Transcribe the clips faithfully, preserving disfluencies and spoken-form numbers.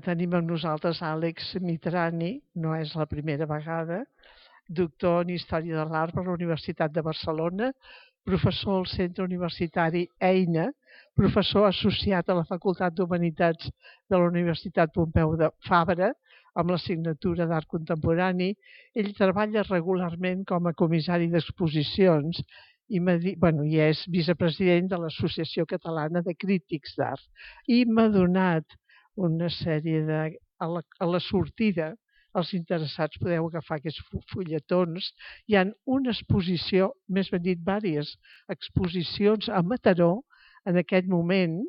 tenim amb nosaltres Àlex Mitrani, no és la primera vegada, doctor en Història de l'Art per la Universitat de Barcelona, professor al Centre Universitari EINA, professor associat a la Facultat d'Humanitats de la Universitat Pompeu Fabra, amb l'assignatura d'Art Contemporani. Ell treballa regularment com a comissari d'exposicions i, bueno, i és vicepresident de l'Associació Catalana de Crítics d'Art. I m'ha donat una sèrie de... A la, a la sortida, els interessats podeu agafar aquests fulletons. Hi ha una exposició, més ben dit, diverses exposicions a Mataró en aquest moment,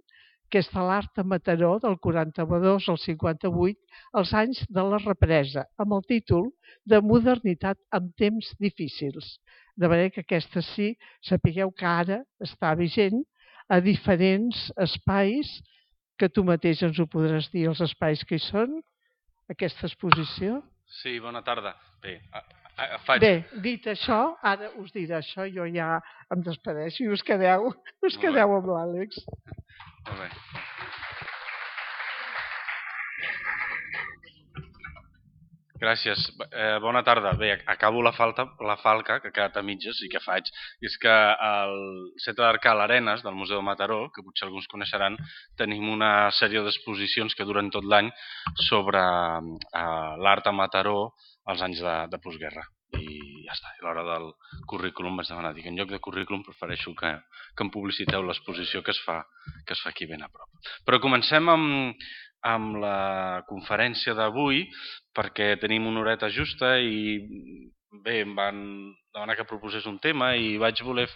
que és de l'art a Mataró del quaranta-dos al cinquanta-vuit, els anys de la represa, amb el títol de Modernitat en temps difícils. De manera que aquesta sí, sapigueu que ara està vigent a diferents espais, que tu mateix ens ho podràs dir, els espais que hi són, aquesta exposició. Sí, bona tarda. Bé, a, a, faig... Bé, dit això, ara us diré això, jo ja em despedeixo i us quedeu, us quedeu amb l'Àlex. Molt bé. Gràcies. Eh, bona tarda. Bé, acabo la, falta, la falca, que ha quedat a mitges, i que faig. És que al Centre d'Art Cal Arenes, del Museu de Mataró, que potser alguns coneixeran, tenim una sèrie d'exposicions que duren tot l'any sobre eh, l'art a Mataró als anys de, de postguerra. I ja està. A l'hora del currículum vaig demanar, dic, en lloc de currículum prefereixo que, que em publiciteu l'exposició que es fa que es fa aquí ben a prop. Però comencem amb, amb la conferència d'avui, perquè tenim una horeta justa i bé, em van demanar que proposés un tema i vaig voler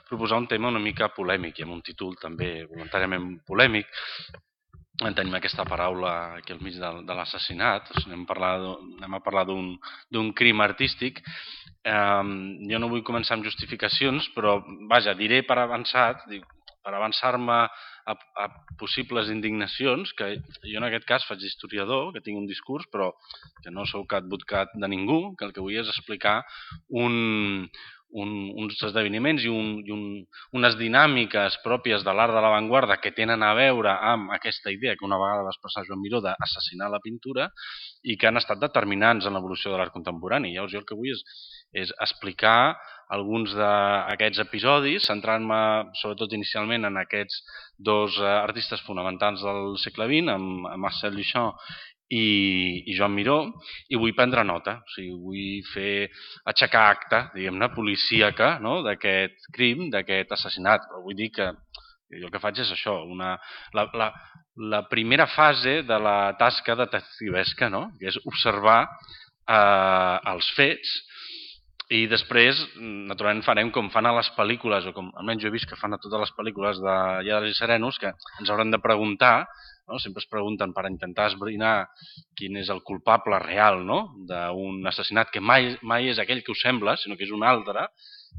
proposar un tema una mica polèmic i amb un títol també voluntàriament polèmic. En tenim aquesta paraula aquí al mig de, de l'assassinat, anem, anem a parlar d'un crim artístic. Eh, jo no vull començar amb justificacions, però vaja, diré per avançat, per avançar-me a, a possibles indignacions, que jo en aquest cas faig d'historiador, que tinc un discurs, però que no sou catbutcat de ningú, que el que vull és explicar un... Un, uns esdeveniments i, un, i un, unes dinàmiques pròpies de l'art de l'avantguarda que tenen a veure amb aquesta idea que una vegada va expressar Joan Miró d'assassinar la pintura i que han estat determinants en l'evolució de l'art contemporani. Llavors jo el que vull és, és explicar alguns d'aquests episodis, centrant-me sobretot inicialment en aquests dos artistes fonamentals del segle vint, amb Marcel Duchamp I, i Joan Miró, i vull prendre nota, o sigui, vull fer aixecar acta, diguem-ne, policíaca, no?, d'aquest crim, d'aquest assassinat. Però vull dir que jo el que faig és això, una, la, la, la primera fase de la tasca detectivesca, no?, que és observar eh, els fets i després, naturalment, farem com fan a les pel·lícules, o com almenys jo he vist que fan a totes les pel·lícules de Lladres i Serenos, que ens hauran de preguntar, no? Sempre es pregunten per intentar esbrinar quin és el culpable real, no?, d'un assassinat que mai, mai és aquell que us sembla, sinó que és un altre.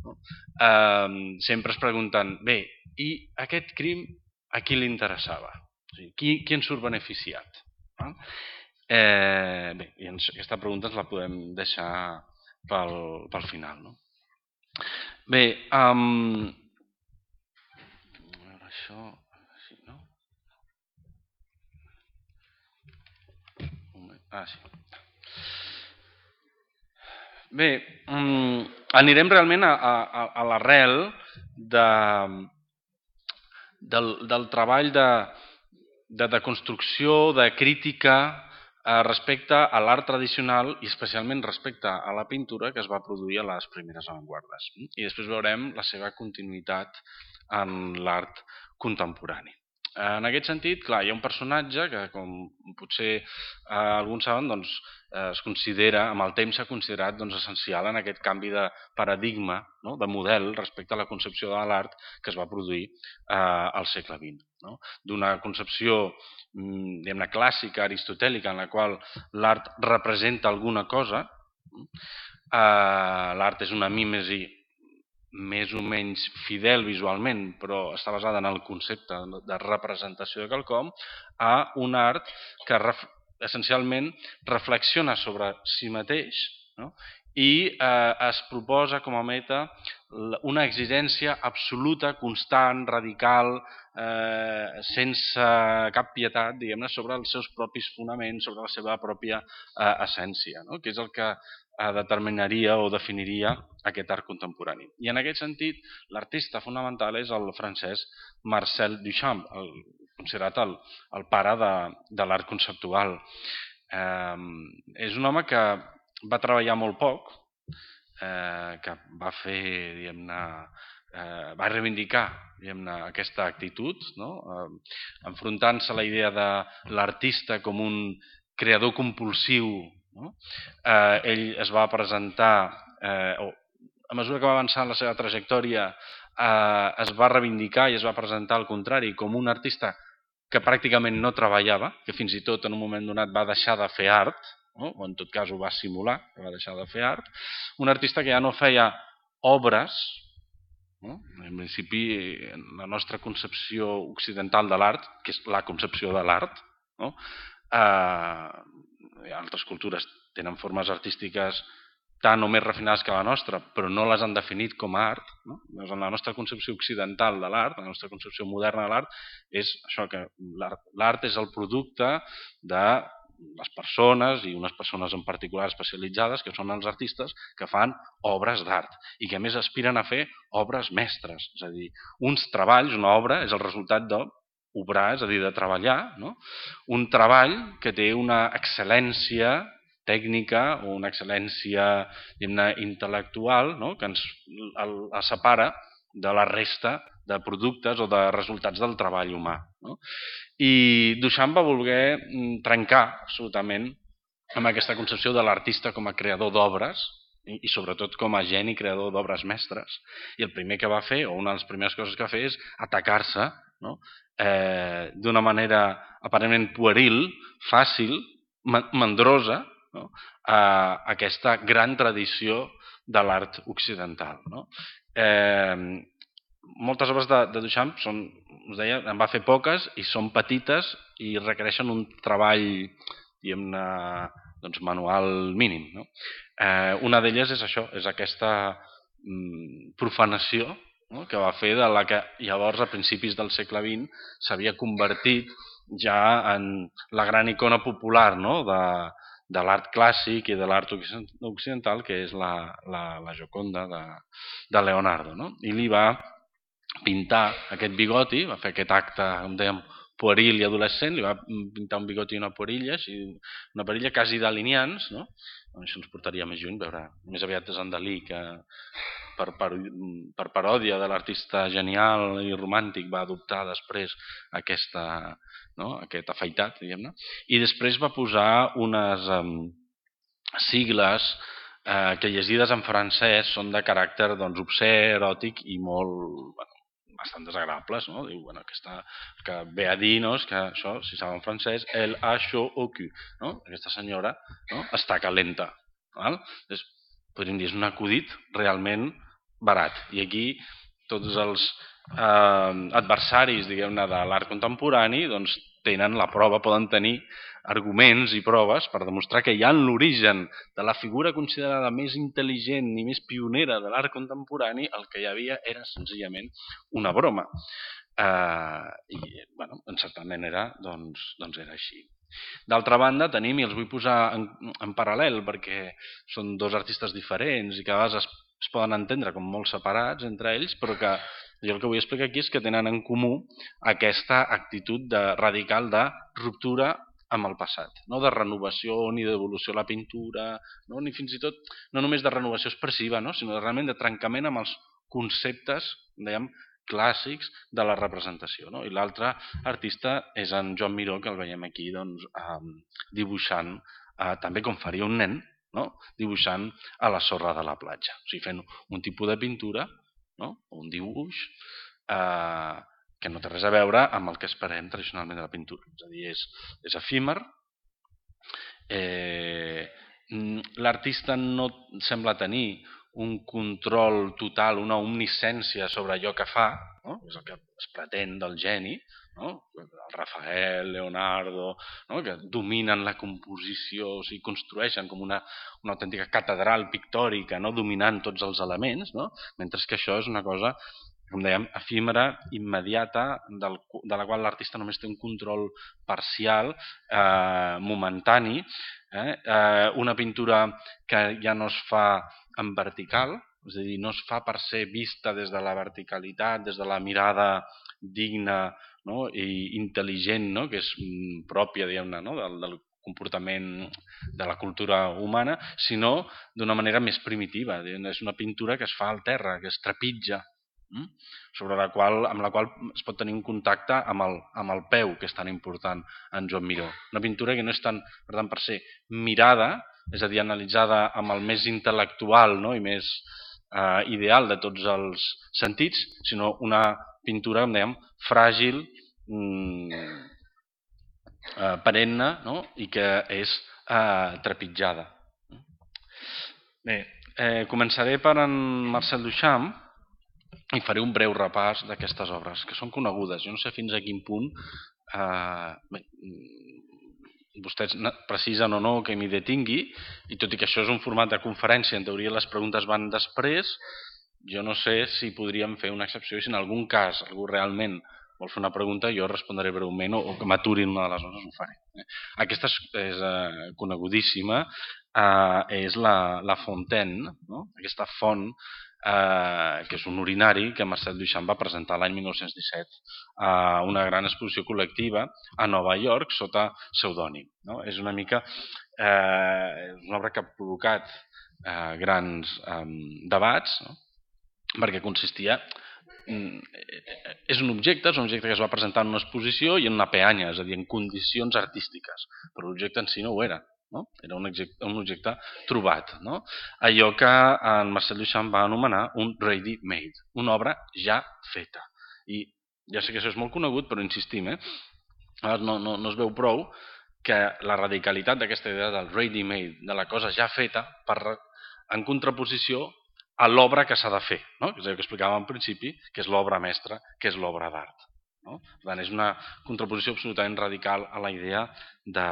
No? Eh, sempre es pregunten, bé, i aquest crim a qui li interessava? O sigui, qui, qui en surt beneficiat? No? Eh, bé, i aquesta pregunta ens la podem deixar pel, pel final. No? Bé, um, a veure això... Sí, no? Ah, sí. Bé, um, anirem realment a, a, a l'arrel de, del, del treball de, de, de construcció, de crítica eh, respecte a l'art tradicional i especialment respecte a la pintura que es va produir a les primeres avantguardes. I després veurem la seva continuïtat en l'art contemporani. En aquest sentit, clar, hi ha un personatge que, com potser eh, alguns saben, doncs, eh, es considera, amb el temps s'ha considerat doncs, essencial en aquest canvi de paradigma, no?, de model respecte a la concepció de l'art que es va produir eh, al segle vint. No? D'una concepció diguem-ne clàssica, aristotèlica, en la qual l'art representa alguna cosa, eh, l'art és una mímesi més o menys fidel visualment, però està basada en el concepte de representació de quelcom, a un art que ref, essencialment reflexiona sobre si mateix, no? I eh, es proposa com a meta una exigència absoluta, constant, radical, eh, sense cap pietat, diguem-ne, sobre els seus propis fonaments, sobre la seva pròpia eh, essència, no? Que és el que eh, determinaria o definiria aquest art contemporani. I en aquest sentit, l'artista fonamental és el francès Marcel Duchamp, el, considerat el, el pare de, de l'art conceptual. Eh, és un home que va treballar molt poc, Eh, que va fer, diguem-ne, eh, va reivindicar diguem-ne, aquesta actitud, no? eh, enfrontant-se a la idea de l'artista com un creador compulsiu. No? Eh, ell es va presentar, eh, o a mesura que va avançar en la seva trajectòria, eh, es va reivindicar i es va presentar al contrari com un artista que pràcticament no treballava, que fins i tot en un moment donat va deixar de fer art, no? O en tot cas ho va simular, que va deixar de fer art, un artista que ja no feia obres, no? En principi la nostra concepció occidental de l'art, que és la concepció de l'art, no? eh, altres cultures tenen formes artístiques tan o més refinades que la nostra, però no les han definit com a art. No? Doncs en la nostra concepció occidental de l'art, la nostra concepció moderna de l'art, és això que l'art és el producte de les persones, i unes persones en particular especialitzades, que són els artistes, que fan obres d'art i que a més aspiren a fer obres mestres. És a dir, uns treballs, una obra, és el resultat d'obrar, és a dir, de treballar, no? Un treball que té una excel·lència tècnica o una excel·lència intel·lectual, no? Que ens el, el separa de la resta de productes o de resultats del treball humà. No? I Duchamp va voler trencar absolutament amb aquesta concepció de l'artista com a creador d'obres i, i sobretot com a geni creador d'obres mestres. I el primer que va fer, o una de les primeres coses que va fer, és atacar-se, no? eh, d'una manera aparentment pueril, fàcil, mandrosa, no? a aquesta gran tradició de l'art occidental. No? Eh, moltes obres de, de Duchamp són, us deia, en va fer poques i són petites i requereixen un treball diguem-ne, doncs, manual mínim. No? Eh, una d'elles és això, és aquesta mm, profanació, no? Que va fer de la que llavors a principis del segle vint s'havia convertit ja en la gran icona popular, no? de, de l'art clàssic i de l'art occidental, que és la, la, la Gioconda de, de Leonardo. No? I li va pintar aquest bigoti, va fer aquest acte, com dèiem, pueril i adolescent, li va pintar un bigoti i una perilla, una perilla quasi delineants, no? Això ens portaria més lluny, veure, més aviat és en Dalí, que per, per, per paròdia de l'artista genial i romàntic va adoptar després aquesta, no? Aquest afaitat, diguem-ne, i després va posar unes um, sigles eh, que llegides en francès són de caràcter doncs, obscè, eròtic i molt... Bueno, bastant desagradables, no? Diu, bueno, aquesta, que ve a dir, no? És que això, si saben francès, el a chaud au cul, no? Aquesta senyora, no? Està calenta, val? Doncs, podríem dir, és un acudit realment barat. I aquí tots els eh, adversaris, diguem-ne, de l'art contemporani, doncs tenen la prova, poden tenir arguments i proves per demostrar que ja en l'origen de la figura considerada més intel·ligent i més pionera de l'art contemporani el que hi havia era senzillament una broma. Eh, I, bueno, en certa manera, doncs, doncs era així. D'altra banda, tenim, i els vull posar en, en paral·lel perquè són dos artistes diferents i que a vegades es, es poden entendre com molt separats entre ells, però que jo el que vull explicar aquí és que tenen en comú aquesta actitud de, radical de ruptura amb el passat, no de renovació ni d'evolució a la pintura, no? Ni fins i tot no només de renovació expressiva, no? Sinó de, realment de trencament amb els conceptes, dèiem, clàssics de la representació. No? I l'altre artista és en Joan Miró, que el veiem aquí doncs, eh, dibuixant, eh, també com faria un nen, no? Dibuixant a la sorra de la platja. O sigui, fent un tipus de pintura, no? Un dibuix, eh, que no té res a veure amb el que esperem tradicionalment de la pintura. És a dir, és, és efímer, eh, l'artista no sembla tenir un control total, una omnisciència sobre allò que fa, no? És el que es pretén del geni, no? Rafael, Leonardo, no? Que dominen la composició, o sigui, construeixen com una, una autèntica catedral pictòrica, no? Dominant tots els elements, no? Mentre que això és una cosa, com dèiem, efímera, immediata, del, de la qual l'artista només té un control parcial, eh, momentani, eh? Eh, una pintura que ja no es fa en vertical, és a dir, no es fa per ser vista des de la verticalitat, des de la mirada digna, no? I intel·ligent, no? Que és pròpia, diguem-ne, no? del, del comportament de la cultura humana, sinó d'una manera més primitiva. És una pintura que es fa al terra, que es trepitja, hm? sobre la qual, amb la qual es pot tenir un contacte amb el, amb el peu, que és tan important en Joan Miró. Una pintura que no és tant, per tant, per ser mirada, és a dir, analitzada amb el més intel·lectual, no? I més eh, ideal de tots els sentits, sinó una pintura, com dèiem, fràgil, mm, eh, perenne, no? I que és eh, trepitjada. Bé, eh, començaré per en Marcel Duchamp i faré un breu repàs d'aquestes obres, que són conegudes. Jo no sé fins a quin punt eh, bé, vostès precisen o no que m'hi detingui, i tot i que això és un format de conferència, en teoria les preguntes van després, jo no sé si podríem fer una excepció i si en algun cas algú realment vol fer una pregunta, jo respondré breument o, o que m'aturin una de les hores ho faré. Aquesta és, és eh, conegudíssima, eh, és la, la Fontaine, no? Aquesta font eh, que és un urinari que Marcel Duchamp va presentar l'any mil nou-cents disset a una gran exposició col·lectiva a Nova York sota pseudònim. No? És una mica eh, una obra que ha provocat eh, grans eh, debats, no? Perquè consistia és un objecte, és un objecte que es va presentar en una exposició i en una peanya, és a dir, en condicions artístiques, però l'objecte en si no ho era, no? Era un objecte, un objecte trobat, no? Allò que en Marcel Duchamp va anomenar un ready-made, una obra ja feta. I ja sé que això és molt conegut, però insistim, eh? no, no, no es veu prou que la radicalitat d'aquesta idea del ready-made, de la cosa ja feta, per, en contraposició a l'obra que s'ha de fer, no? Que és el que explicàvem al principi, que és l'obra mestra, que és l'obra d'art. No? Per tant, és una contraposició absolutament radical a la idea de,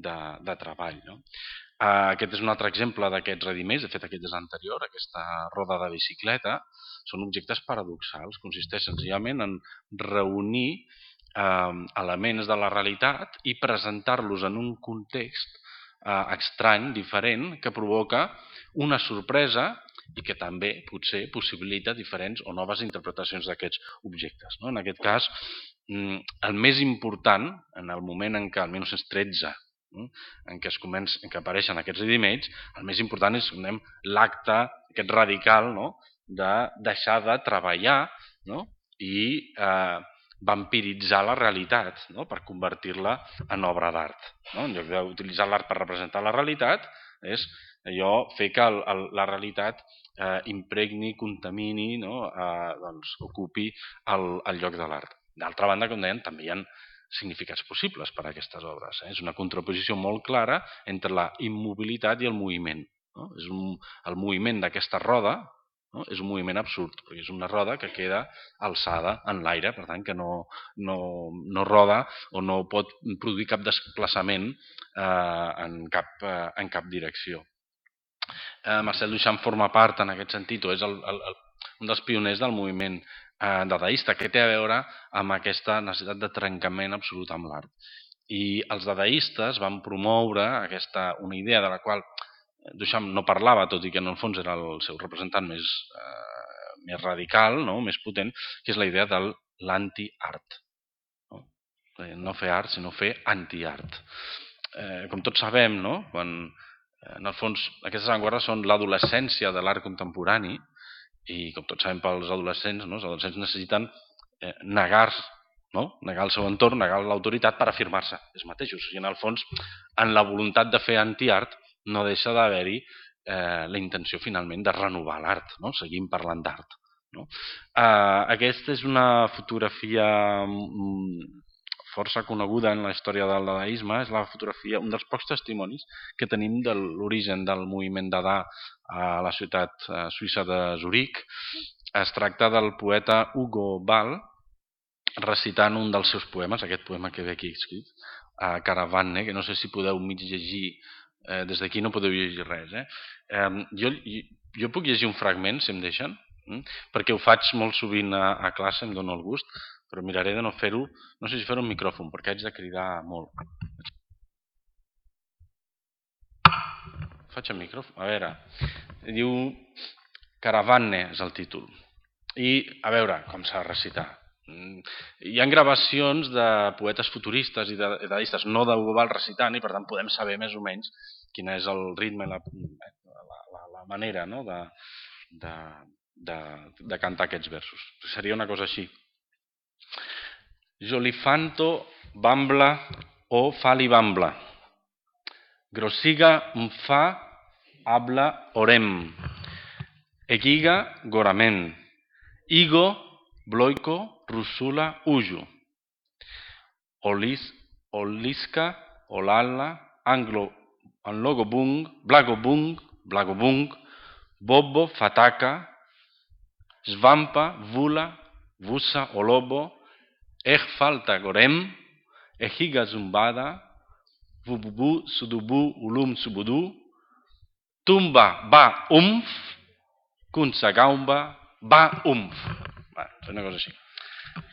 de, de treball. No? Uh, aquest és un altre exemple d'aquests ready-mades, de fet aquest és anterior, aquesta roda de bicicleta, són objectes paradoxals, consisteix senzillament en reunir uh, elements de la realitat i presentar-los en un context uh, estrany, diferent, que provoca una sorpresa i que també potser possibilita diferents o noves interpretacions d'aquests objectes. No? En aquest cas, el més important, en el moment en què, al mil nou-cents tretze, en què, es comença, en què apareixen aquests ready-mades, el més important és l'acte aquest radical, no? De deixar de treballar, no? I eh, vampiritzar la realitat, no? Per convertir-la en obra d'art. No? En lloc d'utilitzar l'art per representar la realitat, és allò fer que el, el, la realitat eh, impregni, contamini, no? eh, doncs, ocupi el, el lloc de l'art. D'altra banda, com deien, també hi ha significats possibles per a aquestes obres. Eh? És una contraposició molt clara entre la immobilitat i el moviment. No? És un, el moviment d'aquesta roda, no? És un moviment absurd, perquè és una roda que queda alçada en l'aire, per tant que no, no, no roda o no pot produir cap desplaçament eh, en, cap, eh, en cap direcció. Eh, Marcel Duchamp forma part en aquest sentit, o és el, el, el, un dels pioners del moviment eh, dadaista, que té a veure amb aquesta necessitat de trencament absolut amb l'art. I els dadaistes van promoure aquesta, una idea de la qual Duchamp no parlava, tot i que en el fons era el seu representant més, eh, més radical, no? Més potent, que és la idea de l'anti-art. No? no fer art, sinó fer anti-art. Eh, com tots sabem, no? Quan en el fons, aquestes avantguardes són l'adolescència de l'art contemporani i, com tots sabem pels adolescents, no? Els adolescents necessiten eh, negar, no? negar el seu entorn, negar l'autoritat per afirmar-se ells mateixos. I en el fons, en la voluntat de fer anti-art, no deixa d'haver-hi eh, la intenció finalment de renovar l'art, no? Seguim parlant d'art. No? Eh, aquesta és una fotografia mm, força coneguda en la història del dadaisme, és la fotografia, un dels pocs testimonis que tenim de l'origen del moviment dadà a la ciutat suïssa de Zuric. Es tracta del poeta Hugo Ball, recitant un dels seus poemes, aquest poema que ve aquí escrit, a Caravane, que no sé si podeu mig llegir, eh, des d'aquí no podeu llegir res. Eh? Eh, jo, jo puc llegir un fragment, si em deixen, mm? perquè ho faig molt sovint a, a classe, em dono el gust, però miraré de no fer-ho, no sé si fer-ho amb micròfon, perquè haig de cridar molt. Faig el micròfon, a veure, diu Caravane és el títol. I a veure com s'ha de recitar. Hi ha gravacions de poetes futuristes i de dadaistes, no d'Hugo Ball recitant, i per tant podem saber més o menys quin és el ritme i la, la, la manera, no? de, de, de, de cantar aquests versos. Seria una cosa així. Jolifanto bambla o fali bambla. Grosiga mfa habla orem. Egiga goramen. Igo bloiko rusula uju. Olis, oliska olala anglo anlogobung blagobung blagobung bobo fataka svampa vula vusa olobo ech falta gorem ehiga zumbada vububu sudubu ulum subudu tumba ba umf kunsagaumba ba umf. És una cosa així.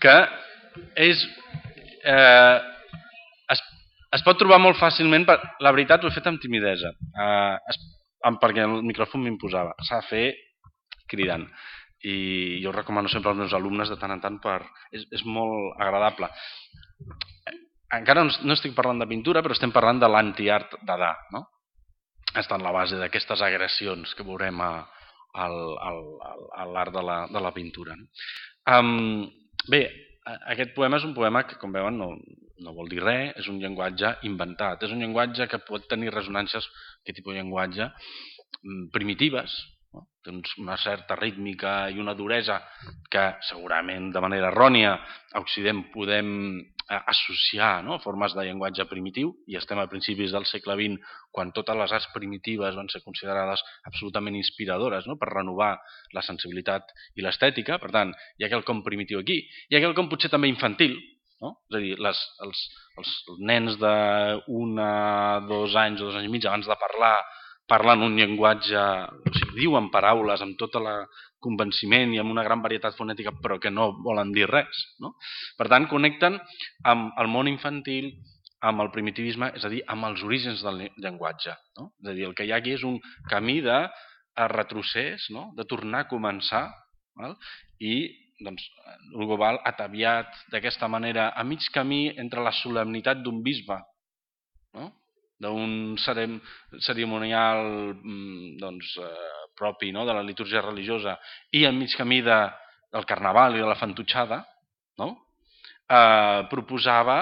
Que és... Eh, es, es pot trobar molt fàcilment, per, la veritat ho he fet amb timidesa, eh, es, perquè el micròfon m'imposava. S'ha de fer cridant. I jo recomano sempre als meus alumnes de tant en tant per... És, és molt agradable. Encara no, no estic parlant de pintura, però estem parlant de l'anti-art Dada, no? Està en la base d'aquestes agressions que veurem a, a, a, a l'art de, la, de la pintura. Um, bé, aquest poema és un poema que, com veuen, no, no vol dir res, és un llenguatge inventat, és un llenguatge que pot tenir ressonàncies, aquest tipus de llenguatge, primitives, no? Té una certa rítmica i una duresa que segurament de manera errònia a Occident podem associar, no? Formes de llenguatge primitiu, i estem a principis del segle vint quan totes les arts primitives van ser considerades absolutament inspiradores, no? Per renovar la sensibilitat i l'estètica. Per tant, hi ha quelcom primitiu aquí, hi ha quelcom potser també infantil, no? És a dir, les, els, els nens d'un a dos anys o dos anys i mig abans de parlar parlen un llenguatge, o sigui, diuen paraules amb tot el convenciment i amb una gran varietat fonètica, però que no volen dir res, no? Per tant, connecten amb el món infantil, amb el primitivisme, és a dir, amb els orígens del llenguatge, no? És a dir, el que hi ha aquí és un camí de retrocés, no? De tornar a començar, val? I doncs, Hugo Ball ataviat d'aquesta manera a mig camí entre la solemnitat d'un bisbe, no? D'un cerimonial doncs, eh, propi, no? De la litúrgia religiosa, i al mig camí de, del carnaval i de la fantutxada, no? eh, proposava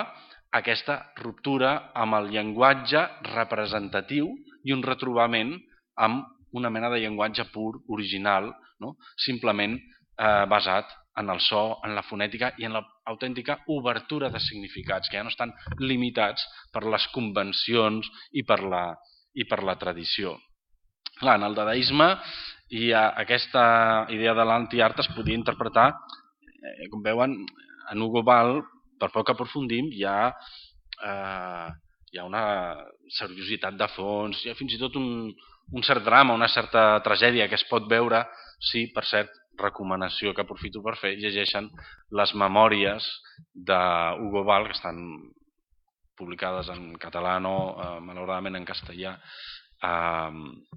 aquesta ruptura amb el llenguatge representatiu i un retrobament amb una mena de llenguatge pur, original, no? Simplement eh, basat en el so, en la fonètica i en l'autèntica obertura de significats, que ja no estan limitats per les convencions i per la, i per la tradició. Clar, en el dadaisme hi ha aquesta idea de l'anti-art es podia interpretar, eh, com veuen, en Hugo Ball, per poc que aprofundim, hi ha, eh, hi ha una seriositat de fons, hi ha fins i tot un, un cert drama, una certa tragèdia que es pot veure, sí, per cert, recomanació que aprofito per fer, llegeixen les memòries d'Hugo Ball, que estan publicades en català, no, eh, malauradament en castellà, eh,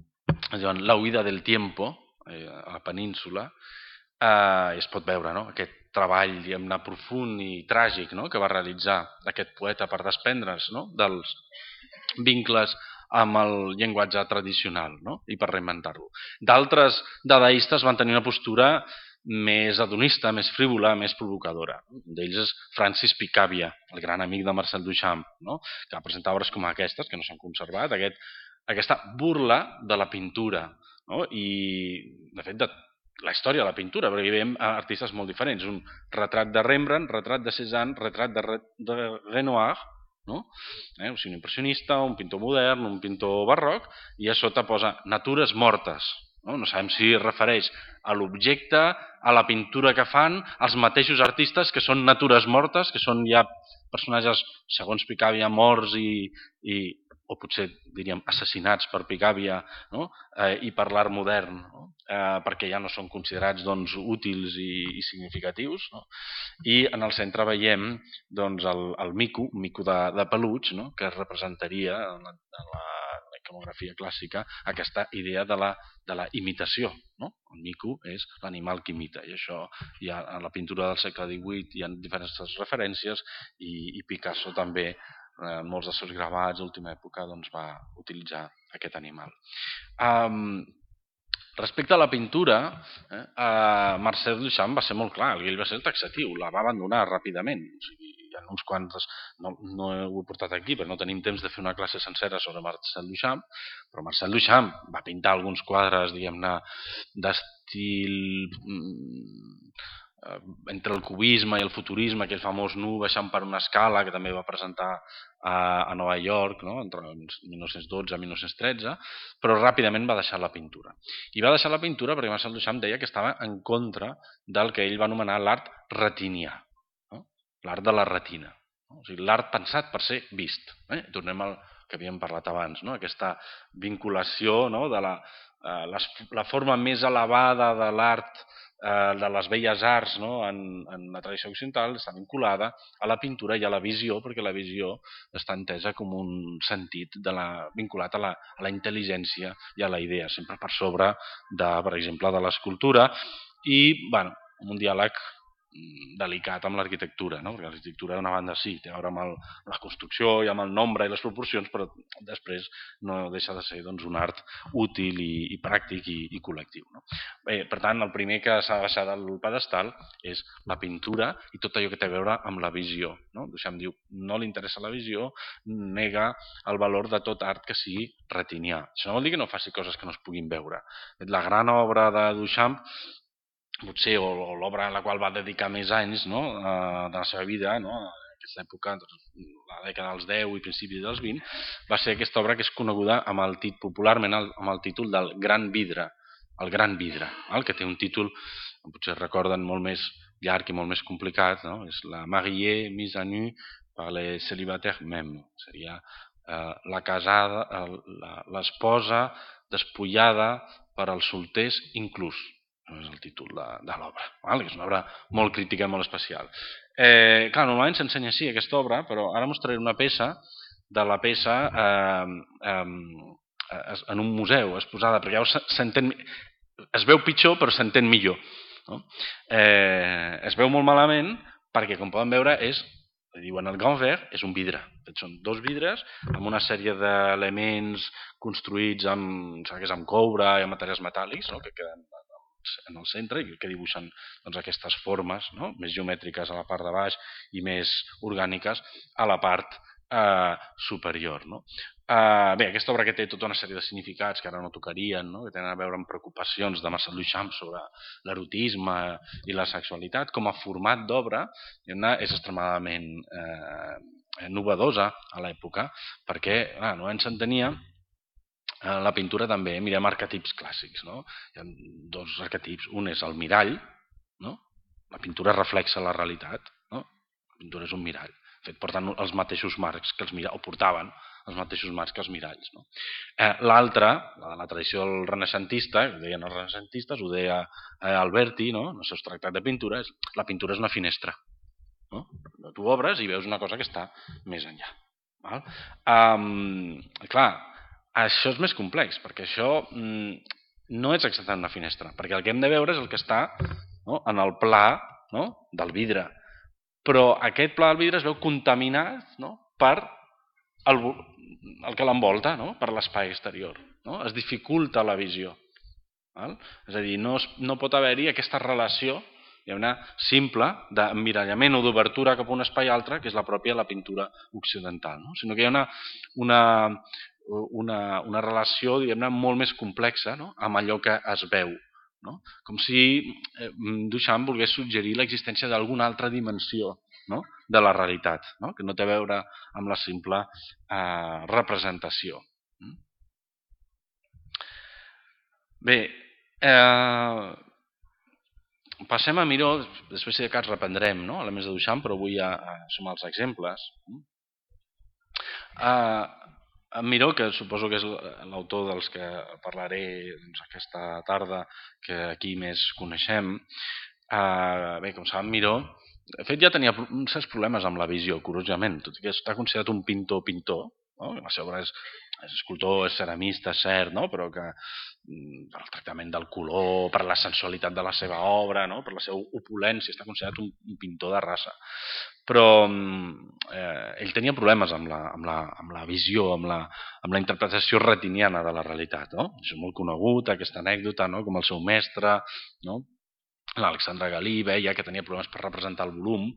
La huida del tiempo, eh, a la península, eh, i es pot veure, no? Aquest treball, diguem-ne, profund i tràgic, no? Que va realitzar aquest poeta per desprendre's, no? Dels vincles amb el llenguatge tradicional, no? I per reinventar-lo. D'altres dadaistes van tenir una postura més hedonista, més frívola, més provocadora. Un d'ells és Francis Picabia, el gran amic de Marcel Duchamp, no? Que va presentar obres com aquestes, que no s'han conservat, aquest, aquesta burla de la pintura, no? I, de fet, de la història de la pintura, perquè hi veiem artistes molt diferents. Un retrat de Rembrandt, retrat de Cézanne, retrat de, Re de Renoir, no? Eh, o sigui, un impressionista, un pintor modern, un pintor barroc, i a sota posa natures mortes, No, no sabem si es refereix a l'objecte, a la pintura que fan, als mateixos artistes que són natures mortes, que són ja personatges, segons Picabia, morts i, i o potser diríem assassinats per Picabia, no? eh, i per l'art modern, no? eh, perquè ja no són considerats doncs, útils i, i significatius. No? I en el centre veiem doncs, el, el mico, un mico de, de peluig, no? que representaria en la, en la iconografia clàssica aquesta idea de la, de la imitació. No? El mico és l'animal que imita, i això hi ha, en la pintura del segle divuit hi ha diferents referències, i, i Picasso també en molts dels seus gravats d'última època doncs, va utilitzar aquest animal. Um, respecte a la pintura, eh, uh, Marcel Duchamp va ser molt clar, ell va ser taxatiu, la va abandonar ràpidament. O sigui, hi ha uns quants, no, no ho he portat aquí, però no tenim temps de fer una classe sencera sobre Marcel Duchamp, però Marcel Duchamp va pintar alguns quadres, diguem-ne, d'estil entre el cubisme i el futurisme, aquell famós nu baixant per una escala que també va presentar a, a Nova York, no? Entre mil nou-cents dotze i mil nou-cents tretze, però ràpidament va deixar la pintura. I va deixar la pintura perquè Marcel Duchamp deia que estava en contra del que ell va anomenar l'art retinià, no? L'art de la retina, no? O sigui, l'art pensat per ser vist. Eh? Tornem al que havíem parlat abans, no? Aquesta vinculació, no? de la, eh, les, la forma més elevada de l'art de les belles arts, no? en, en la tradició occidental està vinculada a la pintura i a la visió, perquè la visió està entesa com un sentit de la, vinculat a la, a la intel·ligència i a la idea, sempre per sobre de, per exemple, de l'escultura, i bueno, un diàleg delicat amb l'arquitectura, no? Perquè l'arquitectura d'una banda sí, té a veure amb el, la construcció i amb el nombre i les proporcions, però després no deixa de ser doncs, un art útil i, i pràctic i, i col·lectiu. No? Bé, per tant, el primer que s'ha de baixar del pedestal és la pintura i tot allò que té a veure amb la visió. No? Duchamp diu, no li interessa la visió, nega el valor de tot art que sigui retinià. Això no vol dir que no faci coses que no es puguin veure. La gran obra de Duchamp potser, o, o l'obra a la qual va dedicar més anys, no? eh, de la seva vida, no? En aquesta època, doncs, la dècada dels deu i principis dels vint, va ser aquesta obra que és coneguda amb el tit, popularment amb el títol del Gran Vidre, el Gran Vidre, el que té un títol, potser recorden, molt més llarg i molt més complicat, no? És la Mariée mise à nu par les célibataires même, seria eh, la casada, l'esposa despullada per als solters inclús. És el títol de, de l'obra, que és una obra molt crítica i molt especial. Eh, clar, normalment s'ensenya així aquesta obra, però ara mostraré una peça de la peça eh, eh, en un museu exposada, perquè ja s'entén, es veu pitjor però s'entén millor. No? Eh, es veu molt malament perquè, com poden veure, és, diuen el Grand Verre, és un vidre. Són dos vidres amb una sèrie d'elements construïts amb, que és amb coure i amb materials metàl·lics, no? que queden en el centre i que dibuixen doncs, aquestes formes, no? Més geomètriques a la part de baix i més orgàniques a la part eh, superior. No? Eh, bé, aquesta obra que té tota una sèrie de significats que ara no tocarien, no? Que tenen a veure amb preocupacions de Marcel Duchamp sobre l'erotisme i la sexualitat, com a format d'obra és extremadament eh, novedosa a l'època, perquè ah, no ens entenia. En la pintura també mirem arquetips clàssics. No? Hi ha dos arquetips. Un és el mirall. No? La pintura reflexa la realitat. No? La pintura és un mirall. Fet, porten els mateixos marcs que els miralls, o portaven els mateixos marcs que els miralls. No? Eh, L'altre, la de la tradició del renaixentista, ho deien els renaixentistes, ho deia eh, Alberti, no? En els seus tractats de pintura, és, la pintura és una finestra. No? Tu obres i veus una cosa que està més enllà. Val? Um, clar, això és més complex, perquè això mm, no és exactament una finestra, perquè el que hem de veure és el que està no, en el pla no, del vidre. Però aquest pla del vidre es veu contaminat no, per el, el que l'envolta, no, per l'espai exterior. No? Es dificulta la visió. Val? És a dir, no, es, no pot haver-hi aquesta relació hi ha una simple d'emmirallament o d'obertura cap a un espai altre, que és la pròpia de la pintura occidental. No? Sinó que hi ha una... una Una, una relació diguem-ne molt més complexa no? Amb allò que es veu. No? Com si eh, Duchamp volgués suggerir l'existència d'alguna altra dimensió no? De la realitat, no? Que no té a veure amb la simple eh, representació. Bé, Eh, passem a Miró, després si de cas reprendrem, no?, elements de Duchamp, però vull a, a sumar els exemples. Eh, en Miró, que suposo que és l'autor dels que parlaré doncs, aquesta tarda, que aquí més coneixem, eh, bé, com saben, Miró, de fet ja tenia uns certs problemes amb la visió, curiosament, tot i que està considerat un pintor-pintor, no? La seva obra és, és escultor, és ceramista, és cert, no? Però que per el tractament del color, per la sensualitat de la seva obra, no? Per la seva opulència, està considerat un, un pintor de raça. Però eh, ell tenia problemes amb la, amb la, amb la visió, amb la, amb la interpretació retiniana de la realitat. No? Això és molt conegut, aquesta anècdota, no? Com el seu mestre, no? l'Alexandre Galí, veia que tenia problemes per representar el volum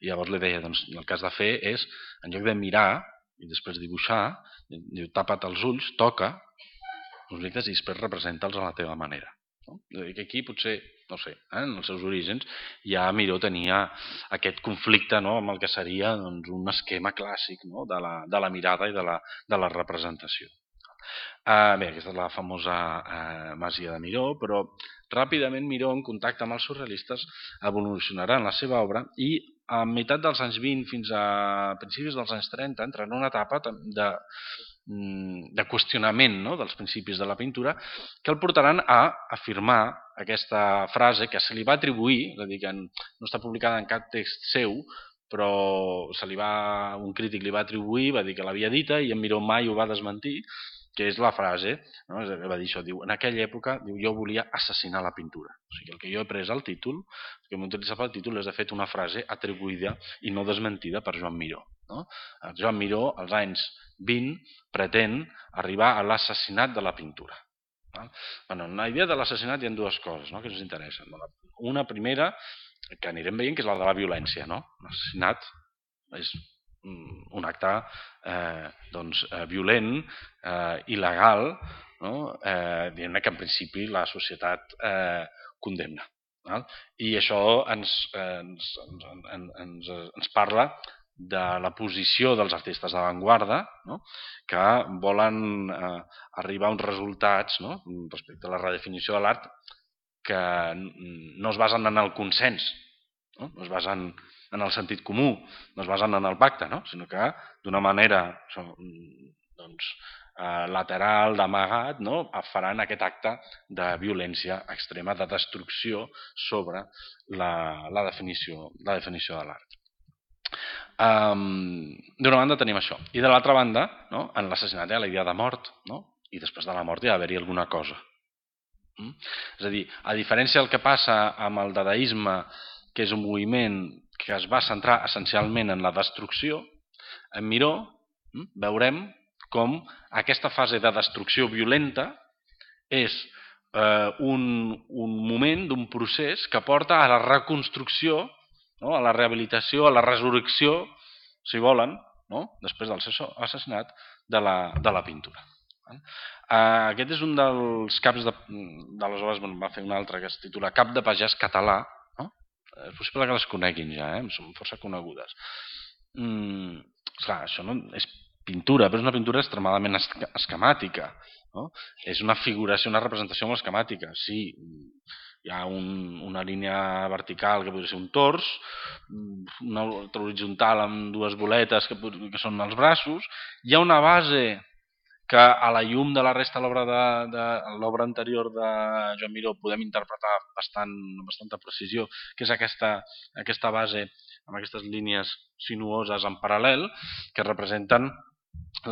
i llavors li deia, doncs, el que has de fer és, en lloc de mirar i després dibuixar, diu, tapa't els ulls, toca els objectes i després representa'ls a la teva manera. No? Que aquí potser, no sé, eh, en els seus orígens ja Miró tenia aquest conflicte, no?, amb el que seria doncs, un esquema clàssic, no?, de, la, de la mirada i de la, de la representació. Uh, bé, aquesta és la famosa uh, Masia de Miró, però ràpidament Miró, en contacte amb els surrealistes, evolucionarà en la seva obra i a meitat dels anys vint fins a principis dels anys trenta entrarà en una etapa de, de qüestionament, no?, dels principis de la pintura que el portaran a afirmar aquesta frase que se li va atribuir, és a dir, que no està publicada en cap text seu, però se li va, un crític li va atribuir, va dir que l'havia dita i en Miró mai ho va desmentir, que és la frase, no? Va dir això, diu, en aquella època diu, jo volia assassinar la pintura. O sigui, el que jo he pres al títol, el que m'he utilitzat pel títol és de fet una frase atribuïda i no desmentida per Joan Miró. No? Joan Miró, als anys vint, pretén arribar a l'assassinat de la pintura. Bueno, en la idea de l'assassinat hi ha dues coses, no?, que ens interessen. Una primera, que anirem veient, que és la de la violència. No? L'assassinat és un acte eh, doncs, eh, violent, eh, il·legal, no? eh, diguem-ne que en principi la societat eh, condemna. Val? I això ens, eh, ens, ens, ens, ens parla de la posició dels artistes d'avantguarda, no?, que volen eh, arribar a uns resultats, no?, respecte a la redefinició de l'art que no es basen en el consens, no, no es basen en el sentit comú, no es basen en el pacte, no?, sinó que d'una manera doncs, eh, lateral, d'amagat, no?, faran aquest acte de violència extrema, de destrucció sobre la, la, definició, la definició de l'art. Um, d'una banda tenim això. I de l'altra banda, no?, en l'assassinat hi ha la idea de mort, no?, i després de la mort hi ha d'haver-hi alguna cosa. Mm? És a dir, a diferència del que passa amb el dadaisme, que és un moviment que es va centrar essencialment en la destrucció, en Miró mm, veurem com aquesta fase de destrucció violenta és eh, un, un moment d'un procés que porta a la reconstrucció, no?, a la rehabilitació, a la resurrecció, si volen, no?, després del seu assassinat, de la, de la pintura. Uh, aquest és un dels caps de, de les obres, bueno, va fer un altre que es titula Cap de pagès català, no? És possible que les coneguin ja, eh? Són força conegudes. Mm, esclar, això no és pintura, però és una pintura extremadament esquemàtica, no? És una figuració, una representació molt esquemàtica. Sí, hi ha un, una línia vertical que podria ser un tors, una altra horitzontal amb dues boletes que, que són els braços, hi ha una base que a la llum de la resta de l'obra de, de l'obra anterior de Joan Miró podem interpretar bastant, amb bastanta precisió, que és aquesta, aquesta base amb aquestes línies sinuoses en paral·lel que representen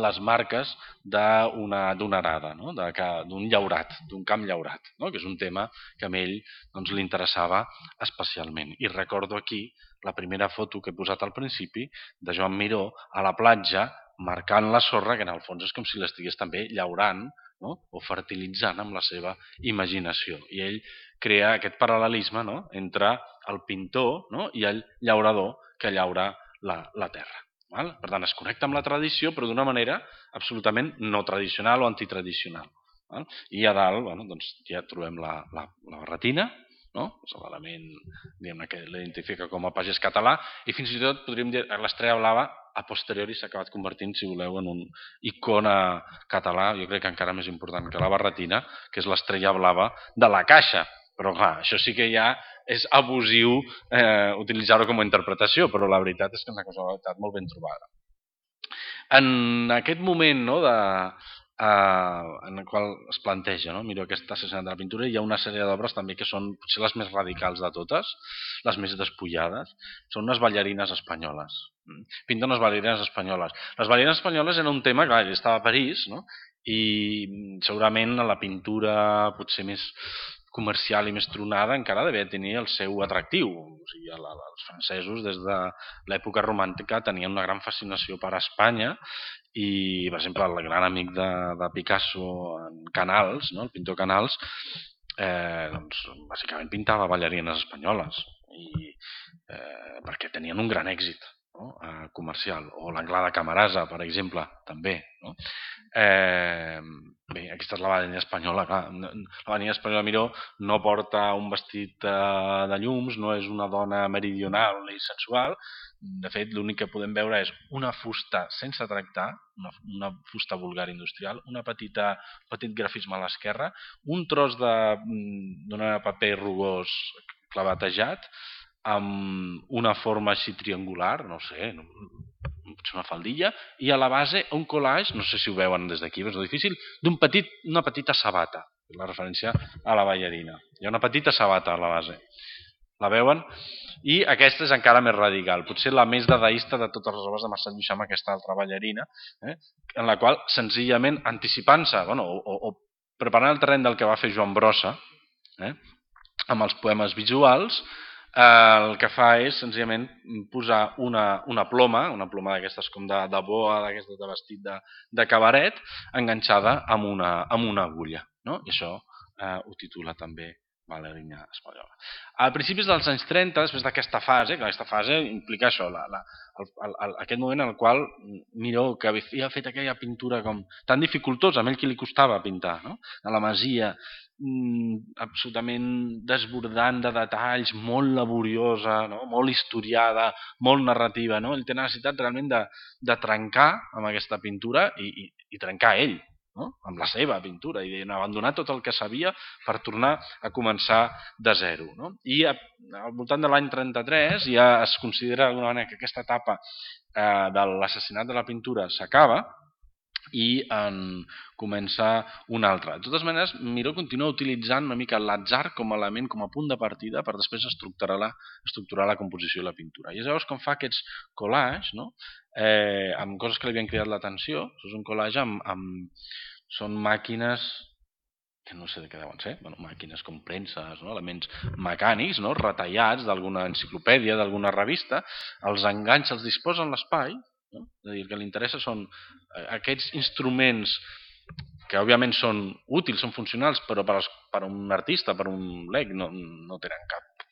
les marques d'una arada, no?, d'un llaurat, d'un camp llaurat, no?, que és un tema que a ell doncs, li interessava especialment. I recordo aquí la primera foto que he posat al principi de Joan Miró a la platja marcant la sorra, que en el fons és com si l'estigués també llaurant, no?, o fertilitzant amb la seva imaginació. I ell crea aquest paral·lelisme, no?, entre el pintor, no?, i el llaurador que llaura la, la terra. Val? Per tant, es connecta amb la tradició, però d'una manera absolutament no tradicional o antitradicional. Val? I a dalt, bueno, doncs, ja trobem la, la, la barretina, no? És l'element que l'identifica com a pagès català, i fins i tot podríem dir que l'estrella blava a posteriori s'ha acabat convertint, si voleu, en un icona català, jo crec que encara més important que la barretina, que és l'estrella blava de la caixa. Però clar, això sí que ja és abusiu eh, utilitzar-ho com a interpretació, però la veritat és que és una casualitat molt ben trobada. En aquest moment, no, de, eh, en el qual es planteja, no, miro aquest assassinat de la pintura, hi ha una sèrie d'obres també que són potser les més radicals de totes, les més despullades, són unes ballarines espanyoles. Pinten unes ballarines espanyoles. Les ballarines espanyoles era un tema, clar, ell estava a París, no? I segurament la pintura potser més comercial i més tronada encara devia tenir el seu atractiu. O sigui, els francesos des de l'època romàntica tenien una gran fascinació per Espanya i, per exemple, el gran amic de, de Picasso, en Canals, no? El pintor Canals, eh, doncs, bàsicament pintava ballarines espanyoles i, eh, perquè tenien un gran èxit, no? eh, comercial. O l'Anglada Camarasa, per exemple, també, no? Eh, bé, aquesta és la ballarina espanyola. Clar. La ballarina espanyola Miró no porta un vestit eh, de llums, no és una dona meridional ni sensual. De fet, l'únic que podem veure és una fusta sense tractar, una, una fusta vulgar industrial, una petita, petit grafisme a l'esquerra, un tros de, de paper rugós clavatejat, amb una forma així triangular, no sé, potser una faldilla, i a la base un collage, no sé si ho veuen des d'aquí, és difícil, d'un petit, una petita sabata, la referència a la ballarina. Hi ha una petita sabata a la base. La veuen? I aquesta és encara més radical, potser la més dadaista de totes les obres de Marcel Duchamp, aquesta altra ballarina, eh, en la qual senzillament anticipant-se, bueno, o, o preparant el terreny del que va fer Joan Brossa, eh, amb els poemes visuals, eh, el que fa és senzillament posar una, una ploma, una ploma d'aquestes com de, de boa, d'aquestes de vestit de, de cabaret, enganxada amb una, amb una agulla, no? I això eh, ho titula també ballarina espanyola. A principis dels anys trenta, després d'aquesta fase, que aquesta fase implica això, la, la, el, el, aquest moment en el qual Miró, que havia fet aquella pintura com tan dificultosa, a ell que li costava pintar, no? A la Masia, mmm, absolutament desbordant de detalls, molt laboriosa, no? Molt historiada, molt narrativa, no? Ell té necessitat realment de, de trencar amb aquesta pintura i, i, i trencar ell, no? Amb la seva pintura i abandonar tot el que sabia per tornar a començar de zero, no? I a, al voltant de l'any trenta-tres ja es considera d'alguna manera que aquesta etapa eh, de l'assassinat de la pintura s'acaba i en comença una altra. De totes maneres, Miró continua utilitzant una mica l'atzar com a element, com a punt de partida per després estructurar la, estructurar la composició i la pintura. I és llavors com fa aquests collages, no? eh, amb coses que li havien cridat l'atenció. És un collage amb, amb... Són màquines que no sé de què deuen ser, bueno, màquines com premses, no? Elements mecànics, no? Retallats d'alguna enciclopèdia, d'alguna revista, els enganys els disposa en l'espai, no? És a dir, el que li interessa són aquests instruments que òbviament són útils, són funcionals, però per, per un artista, per un lec, no, no tenen cap,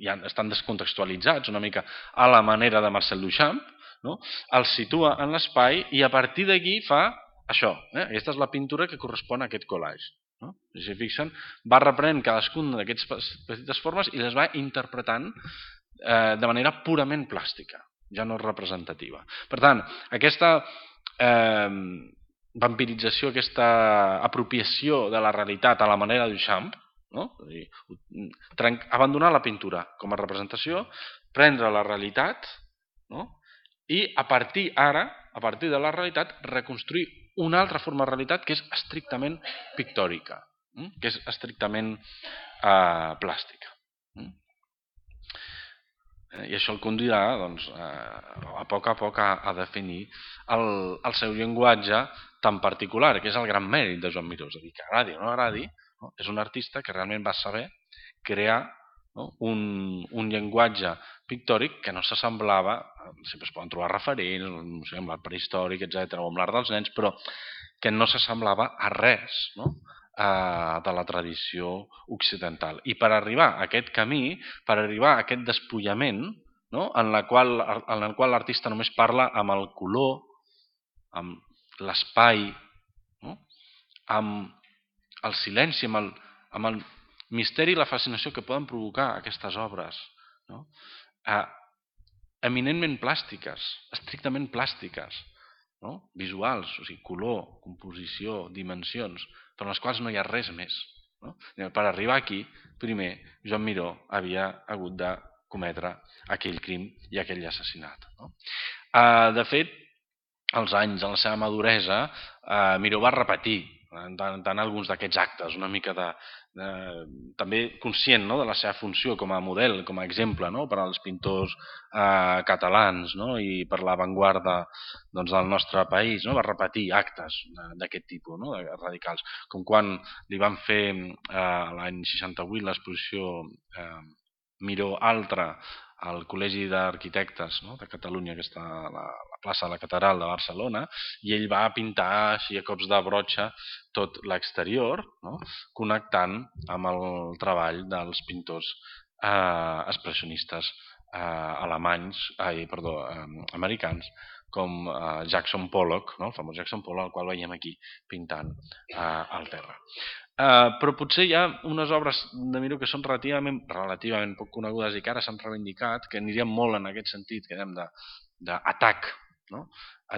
ja estan descontextualitzats una mica a la manera de Marcel Duchamp, no? Els situa en l'espai i a partir d'aquí fa això, eh? Aquesta és la pintura que correspon a aquest collage, no? Si fixen, va reprenent cadascuna d'aquestes petites formes i les va interpretant eh, de manera purament plàstica, ja no representativa. Per tant, aquesta eh, vampirització, aquesta apropiació de la realitat a la manera de Duchamp, no? Abandonar la pintura com a representació, prendre la realitat, no? I a partir ara, a partir de la realitat, reconstruir una altra forma de realitat que és estrictament pictòrica, que és estrictament eh, plàstica. I això el conduirà doncs, a poc a poc a, a definir el, el seu llenguatge tan particular, que és el gran mèrit de Joan Miró. És a dir, que agradi o no agradi, no? És un artista que realment va saber crear, no? un, un llenguatge pictòric que no s'assemblava, sempre es poden trobar referents, no sé, amb l'art prehistòric, etcètera, o amb l'art dels nens, però que no s'assemblava a res, no? eh, de la tradició occidental. I per arribar a aquest camí, per arribar a aquest despullament, no? en la qual, en el qual l'artista només parla amb el color, amb l'espai, no? amb el silenci, amb el, amb el misteri i la fascinació que poden provocar aquestes obres, no? eh, eminentment plàstiques, estrictament plàstiques, no? Visuals, o sigui, color, composició, dimensions, per les quals no hi ha res més. No? Per arribar aquí, primer, Joan Miró havia hagut de cometre aquell crim i aquell assassinat. No? Eh, de fet, als anys, en la seva maduresa, eh, Miró va repetir tant, tant alguns d'aquests actes, una mica de, de també conscient, no?, de la seva funció com a model, com a exemple, no?, per als pintors eh, catalans, no?, i per l'avantguarda, doncs, del nostre país, no?, va repetir actes d'aquest tipus, no?, radicals, com quan li van fer eh, l'any seixanta-vuit l'exposició eh, Miró Altra al Col·legi d'Arquitectes, no?, de Catalunya, que està a la, la plaça de la Catedral de Barcelona, i ell va pintar així a cops de brotxa tot l'exterior, no?, connectant amb el treball dels pintors eh, expressionistes eh, alemanys, ai, perdó, eh, americans, com eh, Jackson Pollock, no?, el famós Jackson Pollock, el qual veiem aquí pintant eh, al terra. Uh, però potser hi ha unes obres de Miró que són relativament, relativament poc conegudes i que ara s'han reivindicat, que anirien molt en aquest sentit, que dèiem, d'atac, no?,